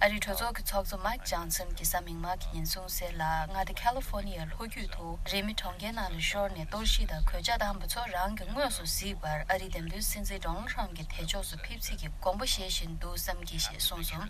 ཨ་རིའི་གྲོས་ཚོགས་ཀྱི་ཚོགས་གཙོ་མའིག་ཇོན་སན་གྱིས་གཟའ་མིག་དམར་གྱི་ཉིན་གསུངས་གསལ་ལ། མངའ་སྡེ་ཁ་ལི་ཧྥོ་ནི་ཡའི་ལྷོ་རྒྱུད་དུ་རི་མེ་གྲོང་ཁྱེར་ནང་ལ་ཤོར་ནས་གཏོར་བཤིག་དང་གོད་ཆག་བཏང་བ་ཚོ་རང་གིས་དངོས་སུ་གཟིགས་པར། ཨ་རིའི་འདེམས་ཐོན་སྲིད་འཛིན་ཌོ་ནལ་ཊམ་གྱིས་དེ་ཕྱོགས་སུ་ཕེབས་རྩིས་ཀྱི་དགོངས་པ་བཞེས་བཞིན་འདུག་བསམ་གྱིས་ཞེས་གསུངས་སོང་།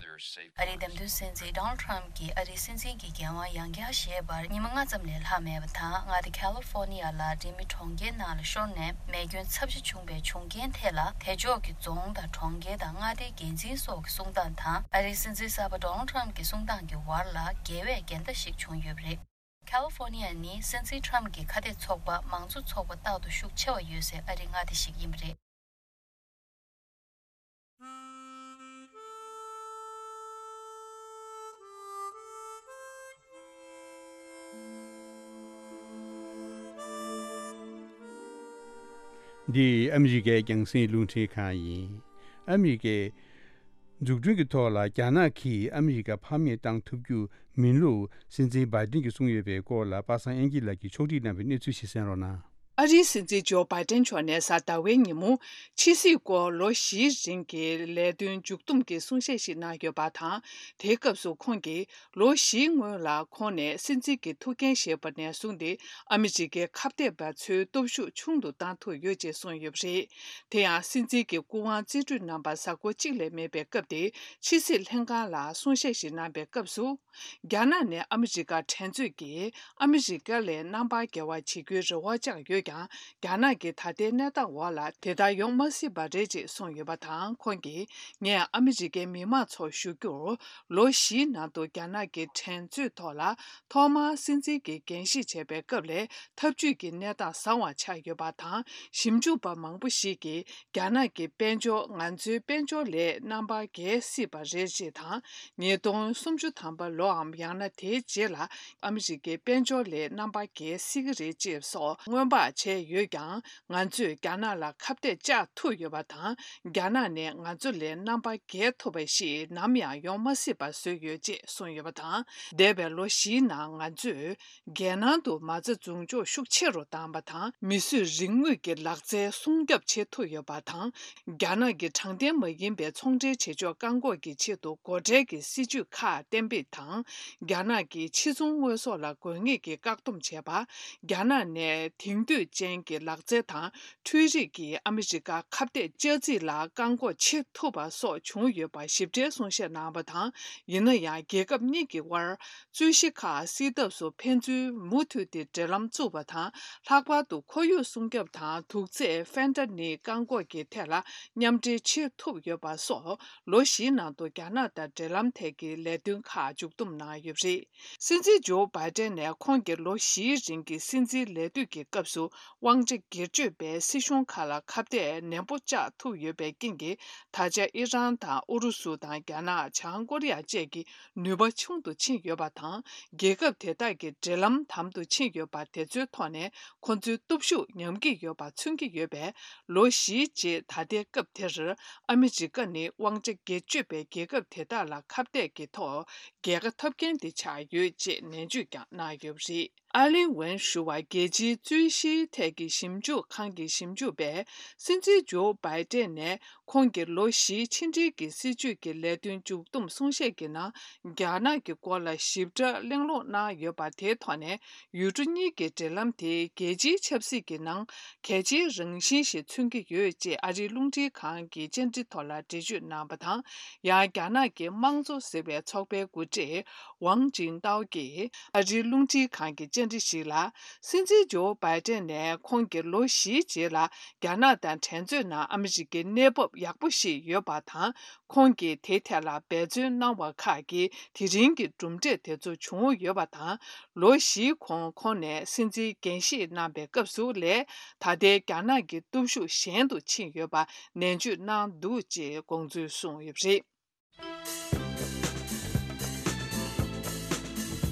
ཨ་རིའི་འདེམས་ཐོན་སྲིད་འཛིན་ཌོ་ནལ་ཊམ་གྱིས་ཨ་རིའི་སྲིད་འཛིན་གྱི་འགན་དབང་ཡང་བསྐྱར་བཞེས་པར་ཉི་མ་ལྔ་ཙམ་ལས་ལྷག་མེད་པ་དང་། མངའ་སྡེ་ཁ་ལི་ཧྥོ་ནི་ཡ་ལ་རི་མེ་གྲོང་ཁྱེར་ནང་ལ་ཤོར་ནས་མེ་སྐྱོན་ཚབས་ཆེ་བྱུང་བའི་བྱུང་རྐྱེན་ཐད་ལ། དེ་ཕྱོགས་ཀྱི་རྫོང་དང་གྲོང་ཁྱེར་དང་མངའ་སྡེའི་འགན་འཛིན་སོགས་ཀྱི་གསུང་སྟངས་དང་། ཨ་རིའི་སྲིད་འཛིན་གསར་པ་ཌོ་ནལ་ཊམ་གྱི་གསུང་སྟངས་ཀྱི་བར་ལ་འགལ་བའི་འགལ་ཟླ་ཞིག་བྱུང་ཡོད་པ་རེད། ཁ་ལི་ཧྥོ་ནི་ཡ་ནི་སྲིད་འཛིན་ཊམ་གྱི་ཁ་གཏད་ཚོགས་པ་མང་གཙོ་ཚོགས་པ་རྟག་ཏུ་ཤུགས་ཆེ་བ་ཡོད་སའི་ཨ་རིའི་མངའ་སྡེ་ཞིག་ཡིན་པ་རེད། འདི་ཨ་མི་རི་ཀའི་རྒྱང་སྲིང་རླུང་འཕྲིན་ཁང་ཡིན། ཨ་མི་རི་ཀའི་འཛུགས་སྐྲུན་གྱི་ཐོག་ལ་རྒྱ་ནག་གིས་ཨ་མི་རི་ཀ་ཕམ་ཉེས་བཏང་ཐུབ་རྒྱུ་མིན་ལུགས་སྲིད་འཛིན་བྷའི་ཏིན་གྱིས་གསུངས་ཡོད་པའི་སྐོར་ལ་པ་སངས་དབྱངས་སྐྱིད་ལགས་ཀྱིས་ཕྱོགས་སྒྲིག་གནང་བའི་གནས་ཚུལ་ཞིག་གསན་རོགས་གནང་། ཨ་རིའི་སྲིད་འཛིན་ཇོ་བྷའི་ཏན་མཆོག་ནས་གཟའ་ཟླ་བའི་ཉིན་མོ་ཕྱི་སྲིད་སྐོར་ལོ་བཞིའི་རིང་གི་ལས་དོན་མཇུག་བསྡོམས་ཀྱི་གསུང་བཤད་ཞིག་གནང་ཡོད་པ་དང་། དེའི་སྐབས་སུ་ཁོང་གིས་ལོ་བཞིའི་སྔོན་ལ་ཁོང་ནས་སྲིད་འཛིན་གྱི་ཐུགས་འགན་བཞེས་པ་ནས་བཟུང་སྟེ་ཨ་མི་རི་ཀའི་ཁ་གཏད་པ་ཚོའི་སྟོབས་ཤུགས་ཆུང་དུ་བཏང་ཐུབ་ཡོད་ཅེས་གསུངས་ཡོད་པ་རེད། དེ་ཡང་སྲིད་འཛིན་གྱི་སྐུ་དབང་རྩིས་སྤྲོད་གནང་བར་གཟའ་འཁོར་གཅིག་ལས་མེད་པའི་སྐབས་དེ་ཕྱི་སྲིད་ལྷན་ཁང་ལ་གསུང་བཤད་ཞིག་གནང་པའི་སྐབས་སུ། རྒྱ་ནག་ནས་ཨ་མི་རི་ཀར་འགྲན་རྩོད་ཀྱིས་ཨ་མི་རི་ཀ་ལས་རྣམ་པར་རྒྱལ་བ་བྱེད་རྒྱུའི་རེ་བ་བཅངས་ཡོད་ཀྱང་། རྒྱ་ནག་གི་ད་ལྟའི་གནས་སྟངས་འོག་ལ་དེ་ལྟར་ཡོང་མ་སྲིད་པ་རེད་ཅེས་གསུངས་ཡོད་པ་དང་། ཁོང་གིས་ངས་ཨ་མི་རི་ཀའི་མི་མང་ཚོར་ཞུ་རྒྱུར། ལོ་བཞིའི་ནང་དུ་རྒྱ་ནག་གི་འགྲན་རྩོད་ཐོག་ལ་ཐོག་མར་སྲིད་འཛིན་གྱི་འགན་བཞེས་བྱས་པའི་སྐབས་ལས་འཐབ་ཇུས་ཀྱི་གནས་སྟངས་བཟང་བ་ཆགས་ཡོད་པ་དང་། ཞིབ་འཇུག་པ་མང་པོ་ཞིག་གིས། རྒྱ་ནག་གི་དཔལ་འབྱོར་ང་ཚོའི་དཔལ་འབྱོར་ལས་རྣམ་པར་རྒྱལ་སྲིད་པ་རེད་ཅེས་དང་། ཉིས་སྟོང་སུམ་ཅུ་ཐམ་པ་ལོའམ་ཡང་ན་དེའི་རྗེས་ལ་ཨ་མི་རི་ཀའི་དཔལ་འབྱོར་ལས་རྣམ་པར་རྒྱལ་སྲིད་ཀྱི་རེད་ཅེས་སོགས་སྔོན་དཔག་བྱས་ཡོད་ཀྱང་། ང་ཚོས་རྒྱ་ནག་ལ་ཁ་གཏད་བཅག་ཐུབ་ཡོད་པ་དང་། རྒྱ་ནག་ནས་ང་ཚོ་ལས་རྣམ་པར་རྒྱལ་ཐུབ་པ་ཞིག་ནམ་ཡང་ཡོང་མ་སྲིད་པ་བཟོས་ཡོད་ཅེས་གསུངས་ཡོད་པ་དང་། འདས་པའི་ལོ་བཞིའི་ནང་ང་ཚོས། རྒྱལ་ནང་དུ་མ་རྩ་འཛུགས་འཇོག་ཤུགས་ཆེ་རུ་བཏང་བ་དང་། མིས་བཟོས་རིག་དངོས་ཀྱི་ལག་རྩལ་སྲུང་སྐྱོབ་བྱེད་ཐུབ་ཡོད་པ་དང་། རྒྱ་ནག་གི་དྲང་བདེན་མ་ཡིན་པའི་ཚོང་འབྲེལ་བྱེད་ཕྱོགས་བཀག་འགོག་གི་ཆེད་དུ་སྒོ་ཁྲལ་གྱི་སྲིད་ཇུས་ཁག་གཏན་འབེབས་དང་། རྒྱ་ནག་གི་ཕྱི་ཚོང་དངོས་ཟོག་ལ་དགོས་ངེས་ཀྱི་བཀག་སྡོམ་བྱས་པ། རྒྱ་ནག་ནས་དེང་དུས་ཅན་གྱི་ལག་རྩལ་དང་། འཕྲུལ་རིག་གིས་ཨ་མི་རི་ཀ་ཁ་གཏད་གཅོག་རྩིས་ལ་བཀག་འགོག་བྱེད་ཐུབ་པ་སོགས་བྱུང་ཡོད་པ་ཞིབ་ཕྲའི་གསུང་བཤད་གནང་བ་དང་། ཡིན་ན་ཡང་རྒྱལ་ཁབ་གཉིས་ཀྱི་དབར། རྩོད་གཞི་ཁག་སེལ་ཐབས་སུ་ཕན་ཚུན་མུ་མཐུད་དེ་འབྲེལ་ལམ་བཙུགས་པ་དང་། ལྷག་པར་དུ་ཁོར་ཡུག་སྲུང་སྐྱོབ་དང་དུག་རྫས་ཕེན་ཏ་ནིལ་བཀག་འགོག་གི་ཐད་ལ་མཉམ་འབྲེལ་བྱེད་ཐུབ་ཡོད་པ་སོགས། ལོ་བཞིའི་ནང་དུ་རྒྱ་ནག་དང་འབྲེལ་ལམ་ཐད་ཀྱི་ལས་དོན་ཁག་མཇུག་བསྡོམས་གནང་ཡོད་པ་རེད། སྲིད་འཛིན་ཇོ་བྷའི་ཏན་ནས་ཁོང་གི་ལོ་བཞིའི་རིང་གི་སྲིད་འཛིན་ལས་དུས་ཀྱི་སྐབས་སུ། དབང་ཆ་སྒེར་གཅོད་པས་སྲིད་གཞུང་ཁག་ལ་ཁ་གཏད་ནན་པོ་བཅག་ཐུབ་ཡོད་པའི་རྐྱེན་གྱིས། ད་ཆ་ཨི་རན་དང་ཨུ་རུ་སུ་དང་རྒྱ་ནག་བྱང་ཀོ་རི་ཡ་བཅས་ཀྱི་ནུས་པ་ཆུང་དུ་ཕྱིན་ཡོད་པ་དང་། རྒྱལ་ཁབ་དེ་དག་གི་འབྲེལ་ལམ་དམ་དུ་ཕྱིན་ཡོད་པ་དེ་ཚོའི་ཐོག་ནས་ཁོ་ཚོའི་སྟོབས་ཤུགས་ཉམས་ཀྱི་ཡོད་པ་མཚོན་གྱི་ཡོད་པས། ལོ་བཞིའི་རྗེས་ད་ལྟའི་སྐབས་དེར་ཨ་མི་རི་ཀ་ནི་དབང་ཆ་སྒེར་གཅོད་པའི་རྒྱལ་ཁབ་དེ་དག་ལ་ཁ་གཏད་ཀྱི་ཐོག་རྒྱལ་ཁ་ཐོབ་མཁན་དེ་ཆགས་ཡོད་ཅེས་ནན་བརྗོད་ཀྱང་གནང་ཡོད་པ་རེད། ཨ་ལིན་ཝེན་ཞུ་བ་རྒྱལ་སྤྱིའི་རྩོད་གཞིའི་ཐད་ཀྱི་ཞིབ་འཇུག་ཁང་གི་ཞིབ་འཇུག་པས། སྲིད་འཛིན་ཇོ་བྷའི་ཏན་ནས་ཁོང་གི་ལོ་བཞིའི་ཕྱི་འབྲེལ་གྱི་སྲིད་བྱུས་ཀྱི་ལས་དོན་མཇུག་བསྡོམས་གསུང་བཤད་ཀྱི་ནང་། རྒྱ་ནག་གི་སྐོར་ལ་ཞིབ་ཕྲ་གླེང་སློང་གནང་ཡོད་པ་དེའི་ཐོག་ནས། ཡུལ་གྲུ་གཉིས་ཀྱི་འབྲེལ་ལམ་དེ་རྒྱལ་སྤྱིའི་ཆབ་སྲིད་ཀྱི་ནང་གལ་ཆེའི་རང་བཞིན་ཞིག་མཚོན་གྱི་ཡོད་ཅེས་ཨ་རིའི་རླུང་འཕྲིན་ཁང་གི་བཅར་འདྲི་ཐོག་ལ་འགྲེལ་བརྗོད་གནང་བ་དང་། ཡང་རྒྱ་ནག་གི་དམངས་གཙོ་ཟེར་བའི་ཚོགས་པའི་འགོ་ཁྲིད་ཝང་ཅིན་ཏའོ་གིས་ཨ་རིའི་རླུང་འཕྲིན་ཁང་གི་བཅར་འདྲི་ཞིག་ལ། སྲིད་འཛིན་ཇོ་བྷའི་ཏན་ནས་ཁོང་གིས་ལོ་བཞིའི་རྗེས་ལ་རྒྱ་ནག་དང་འགྲན་རྩོད་ནང་ཨ་མི་རི་ཀའི་གནས་བབ་ཡག་པོ་ཞིག་ཡོད་པ་དང་། ཁོང་གིས་དེའི་ཐད་ལ་འབད་བརྩོན་གནང་བ་ཁག་གིས་དེ་རིང་གི་གྲུབ་འབྲས་དེ་ཚོ་བྱུང་ཡོད་པ་དང་། ལོ་བཞིའི་གོང་ཁོང་ནས་སྲིད་འཛིན་འགན་བཞེས་གནང་པའི་སྐབས་སུ་ལས། ད་ལྟའི་རྒྱ་ནག་གི་སྟོབས་ཤུགས་ཞན་དུ་ཕྱིན་ཡོད་པ་ནན་བརྗོད་གནང་འདུག་ཅེས་དགོངས་ཚུལ་གསུངས་ཡོད་པ་རེད།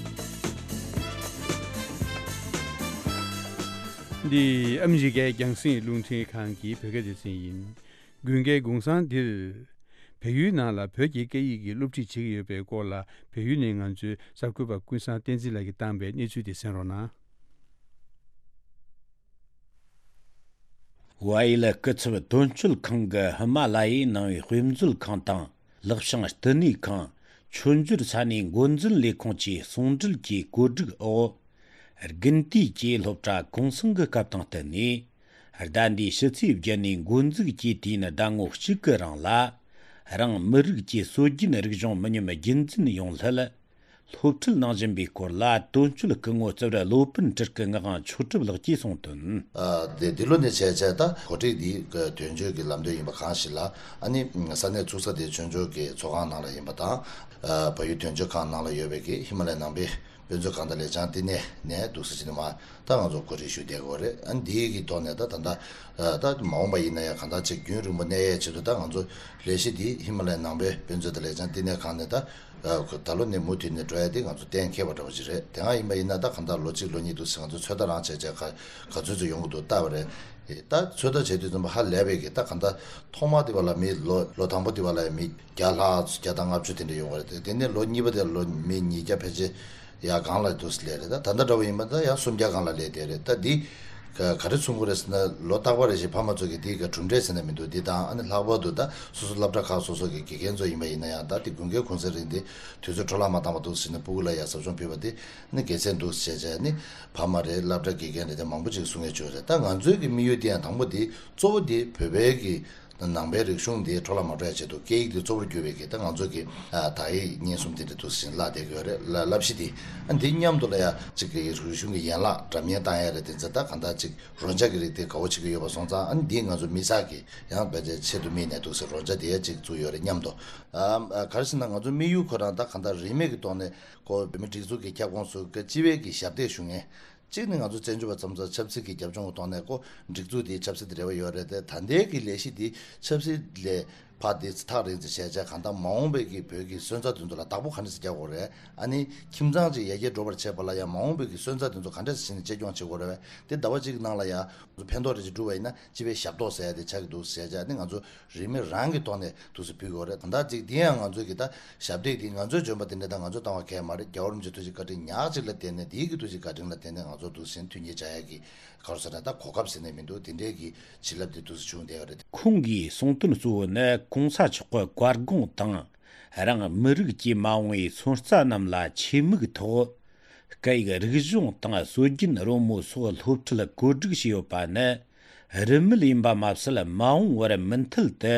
འདི་ཨ་མི་རི་ཀའི་རྒྱང་སྲིང་རླུང་འཕྲིན་ཁང་གི་བོད་སྐད་སྡེ་ཚན་ཡིན། དགུན་ཁའི་གུང་སེང་འདིར། བལ་ཡུལ་ནང་ལ་བོད་ཀྱི་སྐད་ཡིག་གི་སློབ་ཁྲིད་བྱེད་ཀྱི་ཡོད་པའི་སྐོར་ལ། བལ་ཡུལ་ནས་ང་ཚོའི་གསར་འགོད་པ་ཀུན་བཟང་བསྟན་འཛིན་ལགས་ཀྱིས་བཏང་པའི་གནས་ཚུལ་དེ་གསན་རོགས་གནང་། ཝའི་ལི་སྐུ་ཚབ་དོན་གཅོད་ཁང་གི་ཧི་མ་ལ་ཡའི་ནང་པའི་དཔེ་མཛོད་ཁང་དང་། ལེགས་བྱང་བསྟི་གནས་ཁང་། མཆོད་འཇོར་ས་གནས་འགོ་འཛིན་ལས་ཁུངས་ཀྱིས་ཟུང་འབྲེལ་གྱིས་བཀོད་སྒྲིག་འོག་དགུན་དུས་ཀྱི་སློབ་གྲྭ་གུང་སེང་གི་སྐབས་དང་བསྟུན་ནས། ཟླ་འདིའི་ཕྱི་ཚེས་བརྒྱད་ནས་འགོ་འཛུགས་ཀྱིས་དུས་ཡུན་ཟླ་ངོ་གཅིག་གི་རིང་ལ། རང་མི་རིགས་ཀྱི་སྲོལ་རྒྱུན་རིག་གཞུང་མི་ཉམས་རྒྱུན་འཛིན་ཡོང་སླད། སློབ་ཁྲིད་གནང་བཞིན་པའི་སྐོར་ལ། དོན་གཅོད་སྐུ་ངོ་རྩིབ་རི་བློ་སྤུན་སྤྲུལ་སྐུ་ངག་དབང་མཆོག་གྲུབ་ལགས་ཀྱིས་གསུངས་དོན། ཨ། དེ་འདི་ལོ་ནས་བྱས་བྱས་ད་གོ་སྒྲིག་འདི་དོན་གཅོད་ཀྱི་ལམ་སྟོན་ཡིན་པ་གང་ཞིག་ལ། ཨ་ནི་ས་གནས་ཚུགས་ས་དེ་ཆོས་འབྱོར་གྱི་ཚོགས་ཁང་ནང་ལ་ཡིན་པ་དང་། ཨ། བལ་ཡུལ་དོན་གཅོད་ཁང་ནང་ལ་ཡོད་པའི་གི་ཧི་མ་ལ་ཡའི་ནང་པའི་དཔེ་མཛོད་ཁང་དང་ལས་བྱང་བསྟི་གནས་ནས་འདུག་སེ་བྱས་ནས་མར་ད་ང་ཚོ་གོ་སྒྲིག་ཞུས་བསྡད་ཡོད་རེད། ཨ་ནི་འདིའི་གི་ཐོག་ནས་ད་ད་ལྟ་ད་མ་འོངས་པ་ཡིན་ན་ཡང་གང་ལྟར་ཅིག་རྒྱུན་རིང་པོ་གནས་ཡས་ཆེད་དུ་ད་ང་ཚོ་ལས་གཞི་འདི་ཧི་མ་ལ་ཡའི་ནང་པའི་དཔེ་མཛོད་དང་ལས་བྱང་བསྟི་གནས་ཁང་ནས་ད་ད་ལོ་ནས་མུ་མཐུད་ནས་འགྲོ་ཡ་དེ་ང་ཚོ་གཏན་འཁེལ་བ་འདྲ་བོ་ཅིག་རེད། དེ་སྔ་ཡིན་པ་ཡིན་ན་ད་གང་ལྟར་ལོ་གཅིག་ལོ་གཉིས་འདུག་སེ་ང་ཚོ་ཚོད་ལྟ་རང་བྱས་བྱས་ག་ག་ཚོད་ཚོད་ཡོང་གི་འདུག་ལྟ་བ་རེད། ད་ཚོད་ལྟ་བྱས་དུས་ཙམ་པ་ཧ་ལས་པའི་གི་ད་གང་ལྟར་ཐོག་མ་དེ་བ་ལ་མི་ལོ་ལོ་དང་པོ་དེ་བ་ལ་མི་བརྒྱ་ལྷག་བརྒྱ་དང་ལྔ་བཅུ་དེ་འདྲ་ཡོང་བ་རེད། དེ་ནས་ལོ་གཉིས་པ་དེ་ལ་ལོ་མི་ཉིས་བརྒྱ་ཕལ་ཆེར་ཡར་སྒང་ལ་འདུག་སེ་སླེབས་རེད། ད་ད་ལྟ་འདྲ་བོ་ཡིན་པ་ད་ཡང་སུམ་བརྒྱ་སྒང་ལ་སླེབས་བསྡད་རེད། ད་འདི་ག་ག་རེ་མཚོན་གྱི་རེད་ཟེར་ན། ལོ་རྟག་པར་རེ་བཞིན་ཕ་མ་ཚོ་གིས་འདི་ག་གྲུབ་འབྲས་ཟེར་ན་མི་འདུག་འདི་དང་ཨ་ནི་ལྷག་པར་དུ་ད་སོ་སོ་སློབ་གྲྭ་ཁག་སོ་སོ་གི་དགེ་རྒན་ཚོ་ཡིན་པ་ཡིན་ན་ཡང་། ད་འདི་དགུན་ཁའི་གུང་སེང་རིང་འདི་དུས་ཚོད་འཕྲོ་བརླག་མ་བཏང་བ་འདུག་ཟེར་ནས་སྤུ་གུ་ལ་ཡ་ཟབ་སྦྱོང་ཕུལ་བ་འདི་ནི་དགེ་མཚན་འདུག་ཟེར་བྱས་ནི་ཕ་མ་རེད། སློབ་གྲྭ་དགེ་རྒན་རེད། དེ་མང་པོ་ཅིག་གསུང་ཡས་བྱུང་རེད། ད་ང་ཚོའི་གི་དམིགས་ཡུལ་དེ་ཡང་དང་པོ་དེ་གཙོ་བོ་དེ་བོད་པའི་གི་ནང་པའི་རིག་གཞུང་འདི་འཕྲོ་བརླག་མ་འགྲོ་ཡ་ཆེད་དུ་སྐད་ཡིག་འདི་གཙོ་བོར་གྱུར་པའི་གི་ད་ང་ཚོ་གི་ཨ་དག་ཡིག་སྙན་གསུམ་དེ་འདྲ་འདུག་ཟིན་བཀླགས་བསྡད་ཀྱི་ཡོད་རེད། བསླབ་གཞི་འདི་ཨ་འདི་མཉམ་དུ་ལ་ཡ་གཅིག་གི་རིག་གཞུང་གི་ཡན་ལག་འདྲ་མིན་བཏང་ཡ་རེད། དེ་ཚོ་ད་གང་ལྟར་གཅིག་རོལ་ཆ་གི་རིགས་དེ་དགའ་བོ་བྱེད་ཀྱི་ཡོད་པ་སོང་ཙང་། ཨ་ནི་འདི་ང་ཚོ་མི་ཚང་གི་ཡང་བེད་སྤྱད་ཆེད་དུ་དམིགས་ནས་འདུག་ཟེར་རོལ་ཆ་དེ་ཡ་གཅིག་བཙུགས་ཡོད་རེད། མཉམ་དུ་ཨ་ག་རེ་ཟེར་ན། ང་ཚོ་དམིགས་ཡུལ་ཁོ་རང་ད་གང་ལྟར་རིན་མེད་ཀྱི་ཐོག་ནས་ཁོ་བོད་མི་སྒྲིག་འཛུགས་ཀྱི་ཁྱབ་ཁོངས་སུ་སྤྱི་པའི་གི་ཞབས་སྟེགས་ཞུ་མཁན། གཅིག་ནི་ང་ཚོ་བཙན་བྱོལ་བ་ཙམ་ཚོ་ཆབ་སྲིད་ཀྱི་རྒྱབ་ལྗོངས་ཀྱི་ཐོག་ནས་ཁོ་སྒྲིག་འཛུགས་དེའི་ཆབ་སྲིད་དེ་འབྲེལ་བ་ཡོད་རེད་དེ། ད་ལྟའི་གི་ལས་གཞི་དེ་ཆབ་སྲིད་ལས་ཕར་དེ་ཐག་རིང་ཙམ་བྱས་བྱས་གང་ལྟར་མ་འོངས་པའི་གི་བོད་ཀྱི་སོན་རྩ་དེ་ཚོ་ལ་བདག་པོ་ག་འདྲ་ཞིག་རྒྱག་དགོས་རེད། ཨ་ནི་ཁྱིམ་ཚང་ཅིག་ཡར་རྒྱས་འགྲོ་བར་བྱེད་པ་ལ་ཡང་མ་འོངས་པའི་གི་སོན་རྩ་དེ་ཚོ་ག་འདྲ་ཞིག་བྱས་ནས་གཅེས་སྐྱོང་བྱེད་དགོས་རེད། དེ་ཟླ་བ་གཅིག་གི་ནང་ལ་ཡང་ཕན་ཐོགས་རེ་ཞིག་བསྒྲུབས་པ་ཡིན་ན་སྤྱི་པའི་ཞབས་ཏོག་ཟེར་ཡ་དེ་ཆགས་ཀྱི་འདུག་ཟེར་བྱས་ནི་ང་ཚོ་རིན་མེད་རང་གི་ཐོག་ནས་འདུག་སེ་ཕུལ་དགོས་རེད། ད་ལྟ་ཅིག་འདི་ཡང་ང་ཚོས་ཀྱི་ད་ཞབས་སྟེགས་འདི་ང་ཚོས་འཇོན་པ་དེ་འདྲ་དང་ང་ཚོས་བཏང་བ་གས་མ་རེད། རྒྱལ་བ་རིན་པོ་ཆེའི་ཐུགས་རྗེ་བཀའ་དྲིན་ཉག་གཅིག་ལ་བརྟེན་ནས། དེའི་གི་ཐུགས་རྗེ་བཀའ་དྲིན་ལ་བརྟེན་ནས་ང་ཚོ་འདུག་སེ་མཐུན་རྐྱེན་སྦྱར་ཡ་གི་ག་རེ་ཟེར་ན་ད་གོ་སྐབས་ཟེར་ནས་མི་འདུག་དེ་འདྲའི་གི་བྱིན་རླབས་དེ་འདུག་སེ་བྱུང་བསྡད་ཡོད་རེད། ཁོང་གིས་གསུངས་དོན་གཙོ་བོ་ནི་གོང་ས་མཆོག་གི་བཀའ་དགོངས་དང་། རང་མི་རིགས་ཀྱི་མ་འོངས་པའི་སོན་རྩ་རྣམས་ལ་ཆེད་དམིགས་ཐོག་སྐད་ཡིག་རིག་གཞུང་དང་སྲོལ་རྒྱུན་རོལ་མོ་སོགས་སློབ་ཁྲིད་བཀོད་སྒྲིག་བྱས་ཡོད་པ་ནི། རིན་མེད་ཡིན་པ་མ་ཟད། མ་འོངས་པར་མུ་མཐུད་དུ་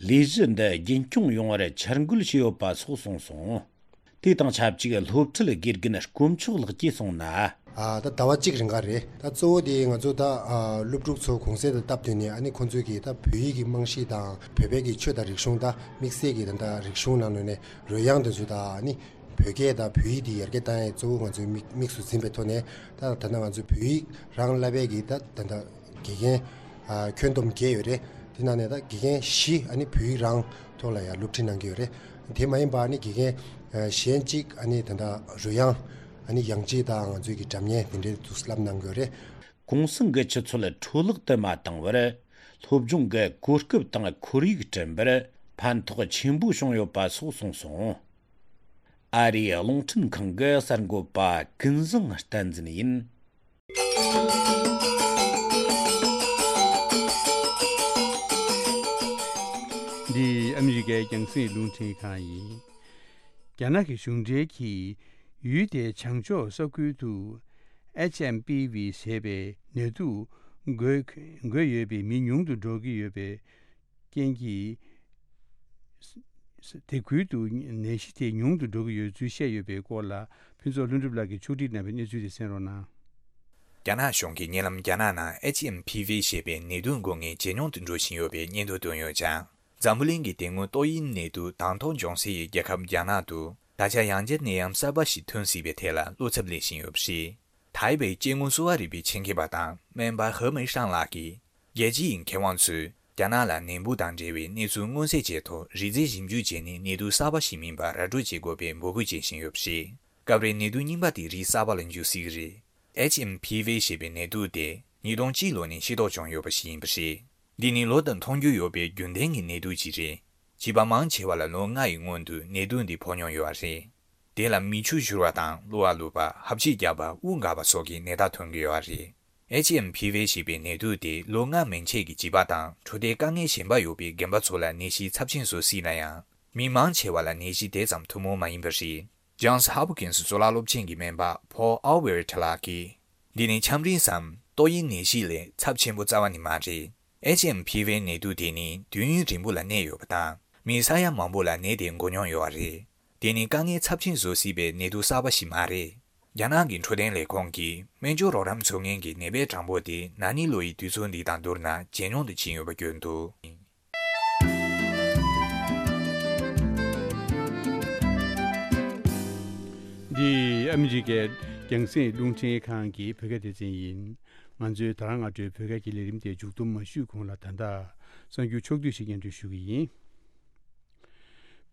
ལས་གཞི་འདི་རྒྱུན་སྐྱོང་ཡོང་བར་འཆར་འགོད་བྱས་ཡོད་པ་སོགས་གསུངས་སོང་། དེ་དང་ཆབས་ཅིག་སློབ་ཁྲིད་དགེ་རྒན་དཀོན་མཆོག་ལགས་ཀྱིས་གསུངས་ན། ཨ། ད་ཟླ་བ་གཅིག་རིང་ག་རེད། ད་གཙོ་བོ་དེ་ང་ཚོ་ད་ཨ་སློབ་ཕྲུག་ཚོ་གུང་སེང་དང་སྟབས་བསྟུན་ནས། ཨ་ནི་ཁོང་ཚོས་ཀྱི་ད་བོད་ཡིག་གི་རྨང་གཞི་དང་། བོད་པའི་གི་ཆོས་དང་རིག་གཞུང་དང་དམིགས་བསལ་གྱི་ད་ད་རིག་གཞུང་ནང་ལོགས་ནས་རོལ་དབྱངས་དེ་ཚོ་དང་། ཨ་ནི་བོད་སྐད་དང་བོད་ཡིག་དེ་ཡར་རྒྱས་བཏང་ཡས་གཙོ་བོ་ང་ཚོའི་དམིགས་དམིགས་སུ་འཛིན་པའི་ཐོག་ནས། ད་ད་ལྟ་ང་ཚོའི་བོད་ཡིག་རང་བསླབ་པའི་གི་ད་ད་ད་དགེ་རྒན་ཨ་ཁྱོན་བསྡོམས་བརྒྱད་ཡོད་རེད། དེ་ནང་ནས་ད་དགེ་རྒན་བཞི་ཨ་ནི་བོད་ཡིག་རང་ཐོག་ལ་ཡང་སློབ་ཁྲིད་གནང་གི་ཡོད་རེད། དེ་མ་ཡིན་པ་ཨ་ནི་དགེ་རྒན་ཨ་གཞན་གཅིག་ཨ་ནི་ད་ད་རོལ་དབྱངས། ཨ་ནི་དབྱངས་གཅིག་དང་ང་ཚོའི་གི་སྒྲ་སྙན་དེ་འདྲའི་འདུག་སེ་བསླབ་གནང་གི་ཡོད་རེད། གུང་སེང་གི་ཆུ་ཚོད་འཕྲོ་བརླག་ཏུ་མ་བཏང་བར། སློབ་སྦྱོང་གི་གོ་སྐབས་དང་ཁོར་ཡུག་བསྐྲུན་པར་ཕན་ཐོགས་ཆེན་པོ་བྱུང་ཡོད་པ་སོགས་གསུངས་སོང་། ཨ་རིའི་རླུང་འཕྲིན་ཁང་གི་གསར་འགོད་པ་ཀུན་བཟང་བསྟན་འཛིན་ཡིན། འདི་ཨ་མི་རི་ཀའི་རྒྱང་སྲིང་རླུང་འཕྲིན་ཁང་ཡིན། རྒྱ་ནག་གི་གཞུང་འབྲེལ་གྱིས་ཡུལ་དེའི་བྱང་ཕྱོགས་ས་ཁུལ་དུ་ཨེཆ་ཨེམ་པི་ཝི་ཞེས་པའི་ནད་དུག་འགོས་འགོས་ཡོད་པའི་མི་ཉུང་དུ་འགྲོ་གི་ཡོད་པའི་རྐྱེན་གྱིས། དེ་ཁུལ་དུ་ནད་གཞི་དེ་ཉུང་དུ་འགྲོ་གི་ཡོད་ཚུལ་བཤད་ཡོད་པའི་སྐོར་ལ། ཕུན་ཚོགས་ལྷུན་གྲུབ་ལགས་ཀྱིས་ཕྱོགས་སྒྲིག་གནང་བའི་གནས་ཚུལ་དེ་གསན་རོགས་གནང་། རྒྱ་ནག་གཞུང་གིས་ཉེ་ལམ་རྒྱ་ནག་ནང་ཨེཆ་ཨེམ་པི་ཝི་ཞེས་པའི་ནད་དུག་འགོས་མཁན་ཇེ་ཉུང་དུ་འགྲོ་བཞིན་ཡོད་པའི་སྙན་ཐོ་བཏོན་ཡོད་ཀྱང་། འཛམ་བུ་གླིང་གི་དེ་སྔོན་ཏོག་དབྱིབས་ནད་དུག་དང་ཐོག་འབྱུང་སའི་རྒྱལ་ཁབ་རྒྱ་ནག་ཏུ་ད་ཆ་ཡང་བསྐྱར་ནད་ཡམས་གསར་པ་ཞིག་ཐོན་སྲིད་པའི་ཐད་ལ་བློ་འཚབ་སླེབས་བཞིན་ཡོད་པ་རེད། ཐའེ་པེའི་སྐྱེ་དངོས་གསོ་བ་རིག་པའི་ཆེད་མཁས་པ་དང་སྨན་པ་ཧེ་མེ་ཧྲང་ལགས་ཀྱིས། རྒྱལ་སྤྱིའི་མཁས་དབང་ཚོས་རྒྱ་ནག་ལ་ནད་འབུ་དང་འབྲེལ་བའི་གནས་ཚུལ་མངོན་གསལ་བྱས་ཐོག་རིགས་རྫས་ཞིབ་འཇུག་བྱས་ནས་ནད་དུག་གསར་པ་ཞིག་མིན་པ་ར་སྤྲོད་བྱེད་དགོས་པའི་འབོད་སྐུལ་བྱེད་བཞིན་ཡོད་པ་རེད། སྐབས་རེ་ནད་དུག་རྙིང་པ་དེ་རིགས་གསར་པ་ལ་འགྱུར་སྲིད་ཀྱི་རེད། ཨེཆ་ཨེམ་པི་ཝི་ཞེས་པའི་ནད་དུག་དེ་ཉིས་སྟོང་གཅིག་ལོ་ནས་ཤེས་རྟོགས་བྱུང་ཡོད་པ་ཞིག་ཡིན་པ་རེད། འདི་ནི་ལོ་ལྟར་མཐོང་རྒྱུ་ཡོད་པའི་རྒྱུན་ལྡན་གྱི་ནད་དུག་ཅིག་རེད། བྱིས་པ་མང་ཆེ་བ་ལ་ལོ་ལྔ་ཡི་སྔོན་དུ་ནད་དུག་འདི་ཕོག་མྱོང་ཡོད་པ་རེད། དེ་ལ་མིག་ཆུ་བཞུར་བ་དང་གློ་བ་ལུད་པ། ཧབ་སྦྲིད་རྒྱག་པ། དབུགས་འགག་པ་སོགས་ཀྱི་ནད་རྟགས་ཐོན་གྱི་ཡོད་པ་རེད། ཨེཆ་ཨེམ་པི་ཝི་ཞེས་པའི་ནད་དུག་དེ་ལོ་ལྔ་མན་ཆད་ཀྱི་བྱིས་པ་དང་འཕྲོད་བསྟེན་དཀའ་ངལ་གཞན་པ་ཡོད་པའི་རྒན་པ་ཚོ་ལ་ནད་གཞི་ཚབས་ཆེན་བཟོ་སྲིད་ན་ཡང་། མི་མང་ཆེ་བ་ལ་ནད་གཞི་དེ་ཙམ་ཐུན་མོང་མ་ཡིན་པ་རེད། ཇོན་སི་ཧོབ་ཀིན་སི་གཙུག་ལག་སློབ་ཆེན་གྱི་སྨན་པ་ཕོལ་ཨོ་ཝེར་ཊི་ལགས་ཀྱིས། འདི་ནི་ཆམ་རིམས་སམ་ཏོག་དབྱིབས་ནད་གཞི་ལས་ཚབས་ཆེན་པོ་རྩ་བ་ནས་མ་རེད། ཨེཆ་ཨེམ་པི་ཝི་ནད་དུག་དེ་ནི་དུས་ཡུན་རིང་པོ་ལ་གནས་ཡོད་པ་དང་། མི་ས་ཡ་མང་པོ་ལ་ནད་དེ་འགོས་མྱོང་ཡོད་པ་རེད། དེ་ནི་དཀའ་ངལ་ཚབས་ཆེན་བཟོ་སྲིད་པའི་ནད་དུག་གསར་པ་ཞིག་མ་རེད། རྒྱ་ནག་གི་འཕྲོད་བསྟེན་ལས་ཁུངས་ཀྱིས་སྨན་བཅོས་རོགས་རམ་ཚུགས་མཁན་གྱི་ནད་པའི་གྲངས་འབོར་དེ་ན་ནིང་ལོ་ཡི་དུས་ཚོད་འདི་དང་བསྡུར་ན་ཇེ་ཉུང་དུ་ཕྱིན་ཡོད་པ་བརྗོད་འདུག། འདི་ཨ་མི་རི་ཀའི་རྒྱང་སྲིང་རླུང་འཕྲིན་ཁང་གི་བོད་སྐད་སྡེ་ཚན་ཡིན། ང་ཚོའི་ད་རང་སྔ་དྲོའི་བོད་སྐད་ཀྱི་ལས་རིམ་དེ་མཇུག་བསྡོམས་མ་ཞུས་གོང་ལ། ད་ལྟ་གསར་འགྱུར་ཕྱོགས་བསྡུས་ཤིག་སྙན་སྒྲོན་ཞུ་གི་ཡིན།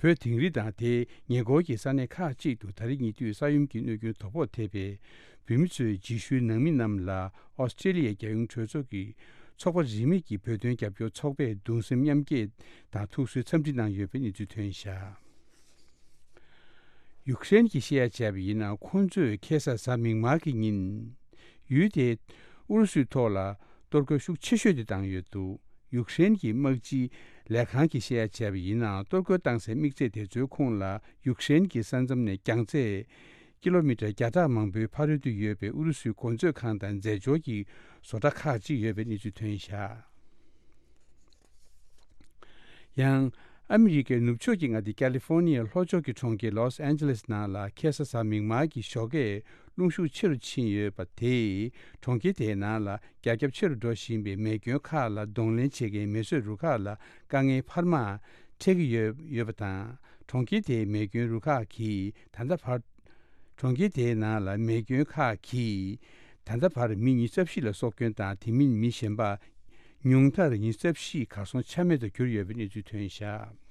བོད་དིང་རི་དང་དེའི་ཉེ་འཁོར་གྱི་ས་གནས་ཁག་ཅིག་ཏུ་ད་རེས་ཉེ་དུས་ས་ཡོམ་གྱི་གནོད་སྐྱོན་དོ་ཕོག་ཐེབས་པའི་བོད་མི་ཚོའི་རྗེས་ཤུལ་ནང་མི་རྣམས་ལ་ཨོ་སི་ཀྲེ་ལི་ཡའི་རྒྱལ་ཡོངས་གྲོས་ཚོགས་ཀྱི་ཚོགས་པ་རིས་མེད་ཀྱི་བོད་དོན་རྒྱབ་སྐྱོར་ཚོགས་པས་གདུང་སེམས་མཉམ་སྐྱེད་དང་ཐུགས་གསོའི་འཚམས་འདྲི་གནང་ཡོད་པའི་གནས་ཚུལ་ཐོན་བཞག། ཡུཀ་རེན་གྱིས་བཤད་ཡ་བྱས་པ་ཡིན་ན། ཁོང་ཚོས་ཁ་སང་གཟའ་མིག་དམར་གྱི་ཉིན་ཡུལ་དེའི་ཨུ་རུ་སུའི་ཐོག་ལ་གཏོར་རྒོལ་ཤུགས་ཆེ་ཤོས་དེ་བཏང་ཡོད་འདུག། ཡུཀ་རེན་གྱི་དམག་སྤྱིའི་ལས་ཁང་གིས་བཤད་ཡ་བྱས་པ་ཡིན་ན། གཏོར་རྒོལ་བཏང་སའི་དམིགས་ཚད་དེ་ཚོའི་ཁོངས་ལ་ཡུཀ་རེན་གྱི་ས་མཚམས་ནས་རྒྱང་ཚད་ཀི་ལོ་མི་ཊར་བརྒྱ་ཕྲག་མང་པོའི་ཕ་རོལ་ཏུ་ཡོད་པའི་ཨུ་རུ་སུའི་གོ་མཛོད་ཁང་དང་རྫས་སྦྱོར་གྱི་བཟོ་གྲྭ་ཁག་ཅིག་ཡོད་པའི་གནས་ཚུལ་ཐོན་བཞག། ཡང་། ཨ་མི་རི་ཀའི་ནུབ་ཕྱོགས་ཀྱི་མངའ་སྡེ་ཀ་ལི་ཧྥོར་ནི་ཡའི་ལྷོ་ཕྱོགས་ཀྱི་གྲོང་ཁྱེར་ལོས་ཨན་ཇེ་ལེས་ནང་ལ་ཁ་སང་གཟའ་མིག་དམར་གྱི་ཞོགས་ཀས་རླུང་ཤུགས་ཆེ་རུ་ཕྱིན་ཡོད་པ་དེས། གྲོང་ཁྱེར་དེའི་ནང་ལ་རྒྱ་ཁྱབ་ཆེ་རུ་འགྲོ་བཞིན་པའི་མེ་སྐྱོན་ཁག་ལ་གདོང་ལེན་བྱེད་མཁན་མེ་གསོད་རུ་ཁག་ལ་དཀའ་ངལ་འཕར་མ་འཕྲད་ཀྱི་ཡོད་ཡོད་པ་དང་། གྲོང་ཁྱེར་དེའི་མེ་སྐྱོན་རུ་ཁག་གིས་ད་ལྟ་བར། གྲོང་ཁྱེར་དེའི་ནང་ལ་མེ་སྐྱོན་ཁག་གིས་ད་ལྟ་བར་མི་ཉི་ཤུ་རྩ་བཞི་ལ་སྲོག་སྐྱོན་དང་། དེ་མིན་མི་གཞན་པ་ཉུང་མཐར་ཉི་ཤུ་རྩ་བཞི་གར་སོང་ཆ་མེད་དུ་གྱུར་ཡོད་པའི་གནས་ཚུལ་ཐོན་བཞག།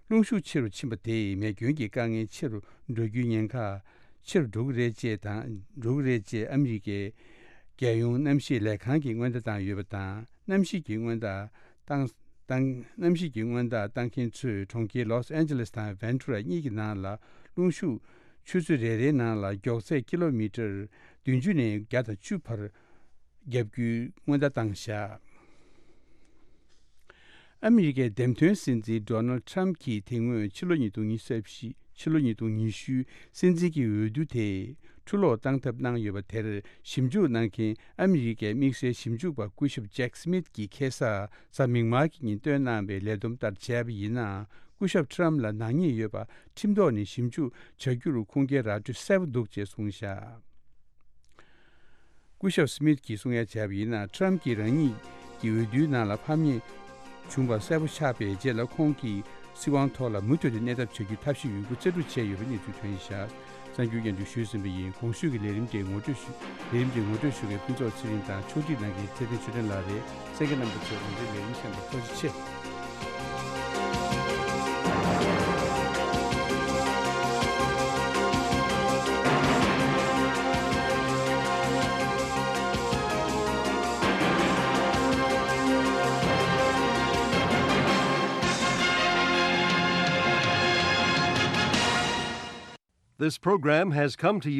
རླུང་ཤུགས་ཆེ་རུ་ཕྱིན་པ་དེས་མེ་སྐྱོན་གྱི་དཀའ་ངལ་ཆེ་རུ་འགྲོ་རྒྱུའི་ཉེན་ཁ་ཆེ་རུ་འགྲོ་གི་རེད་ཅེས་དང་། འགྲོ་གི་རེད་ཅེས་ཨ་མི་རི་ཀའི་རྒྱལ་ཡོངས་གནམ་གཤིས་ལས་ཁང་གིས་སྔོན་བརྡ་བཏང་ཡོད་པ་དང་། གནམ་གཤིས་ཀྱི་སྔོན་བརྡ་བཏང་། བཏང་། གནམ་གཤིས་ཀྱི་སྔོན་བརྡ་བཏང་མཁན་ཚོས་གྲོང་ཁྱེར་ལོས་ཨན་ཇེ་ལེས་དང་ཝན་ཊུ་ར་གཉིས་ཀྱི་ནང་ལ་རླུང་ཤུགས་ཆུ་ཚོད་རེ་རེའི་ནང་ལ་མགྱོགས་ཚད་ཀི་ལོ་མི་ཊར་བདུན་ཅུ་ནས་བརྒྱ་དང་བཅུ་བར་བརྒྱབ་རྒྱུའི་སྔོན་བརྡ་བཏང་བཞག། ཨ་མི་རི་ཀའི་འདེམས་ཐོན་སྲིད་འཛིན་ཌོ་ནལ་ཊམ་གྱིས་དེ་སྔོན་ཕྱི་ལོ་ཉིས་སྟོང་ཉི་ཤུ་རྩ་བཞི། ཕྱི་ལོ་ཉིས་སྟོང་ཉི་ཤུ་སྲིད་འཛིན་གྱི་འོས་བསྡུ་དེ་འཁྲུ་སློག་བཏང་ཐབས་གནང་ཡོད་པ་དེར་ཞིབ་འཇུག་གནང་མཁན་ཨ་མི་རི་ཀའི་དམིགས་བསལ་ཞིབ་འཇུག་པ་སྐུ་ཞབས་ཇེག་སི་མིད་ཀྱིས་ཁ་སང་གཟའ་མིག་དམར་གྱི་ཉིན་བཏོན་གནང་བའི་ལས་བསྡོམས་ལྟར་བྱས་པ་ཡིན་ན། སྐུ་ཞབས་ཊམ་ལ་ནག་ཉེས་ཡོད་པ་ཁྲིམས་ཐོག་ནས་ཞིབ་འཇུག་བྱ་རྒྱུར་ཁུངས་སྐྱེལ་ར་སྤྲོད་གསལ་པོ་འདུག་ཅེས་གསུངས་བཞག། སྐུ་ཞབས་སི་མིད་ཀྱིས་གསུང་ཡ་བྱས་པ་ཡིན་ན། ཊམ་གྱིས་རང་ཉིད་ཀྱི་འོས་བསྡུའི་ནང་ལ་ཕམ་ཉེས་བྱུང་བ་གསལ་པོ་ཆགས་པའི་རྗེས་ལ། ཁོང་གིས་སྲིད་དབང་ཐོག་ལ་མུ་མཐུད་དུ་གནས་ཐབས་བྱ་རྒྱུའི་ཐབས་ཤེས་ཡོད་རྒུ་རྩལ་སྤྲུགས་བྱས་ཡོད་པའི་གནས་ཚུལ་ཐོན་བཞག། གསར་འགྱུར་སྙན་སྒྲོན་ཞུས་ཟིན་པ་ཡིན། གོང་ཞུས་ཀྱི་ལས་རིམ་དེ་ངོ་སྤྲོད་ཞུ། ལས་རིམ་དེ་ངོ་སྤྲོད་ཞུ་མཁན་ཕུན་ཚོགས་ཚེ་རིང་དང་ཕྱོགས་སྒྲིག་གནང་མཁན་ཚེ་བརྟན་ཆོས་སྒྲོན་ལགས་རེད། གསན་མཁན་རྣམ་པ་ཚོས་ང་ཚོའི་ལས་རིམ་གསན་པར་ཐུགས་རྗེ་ཆེ། This program has come to you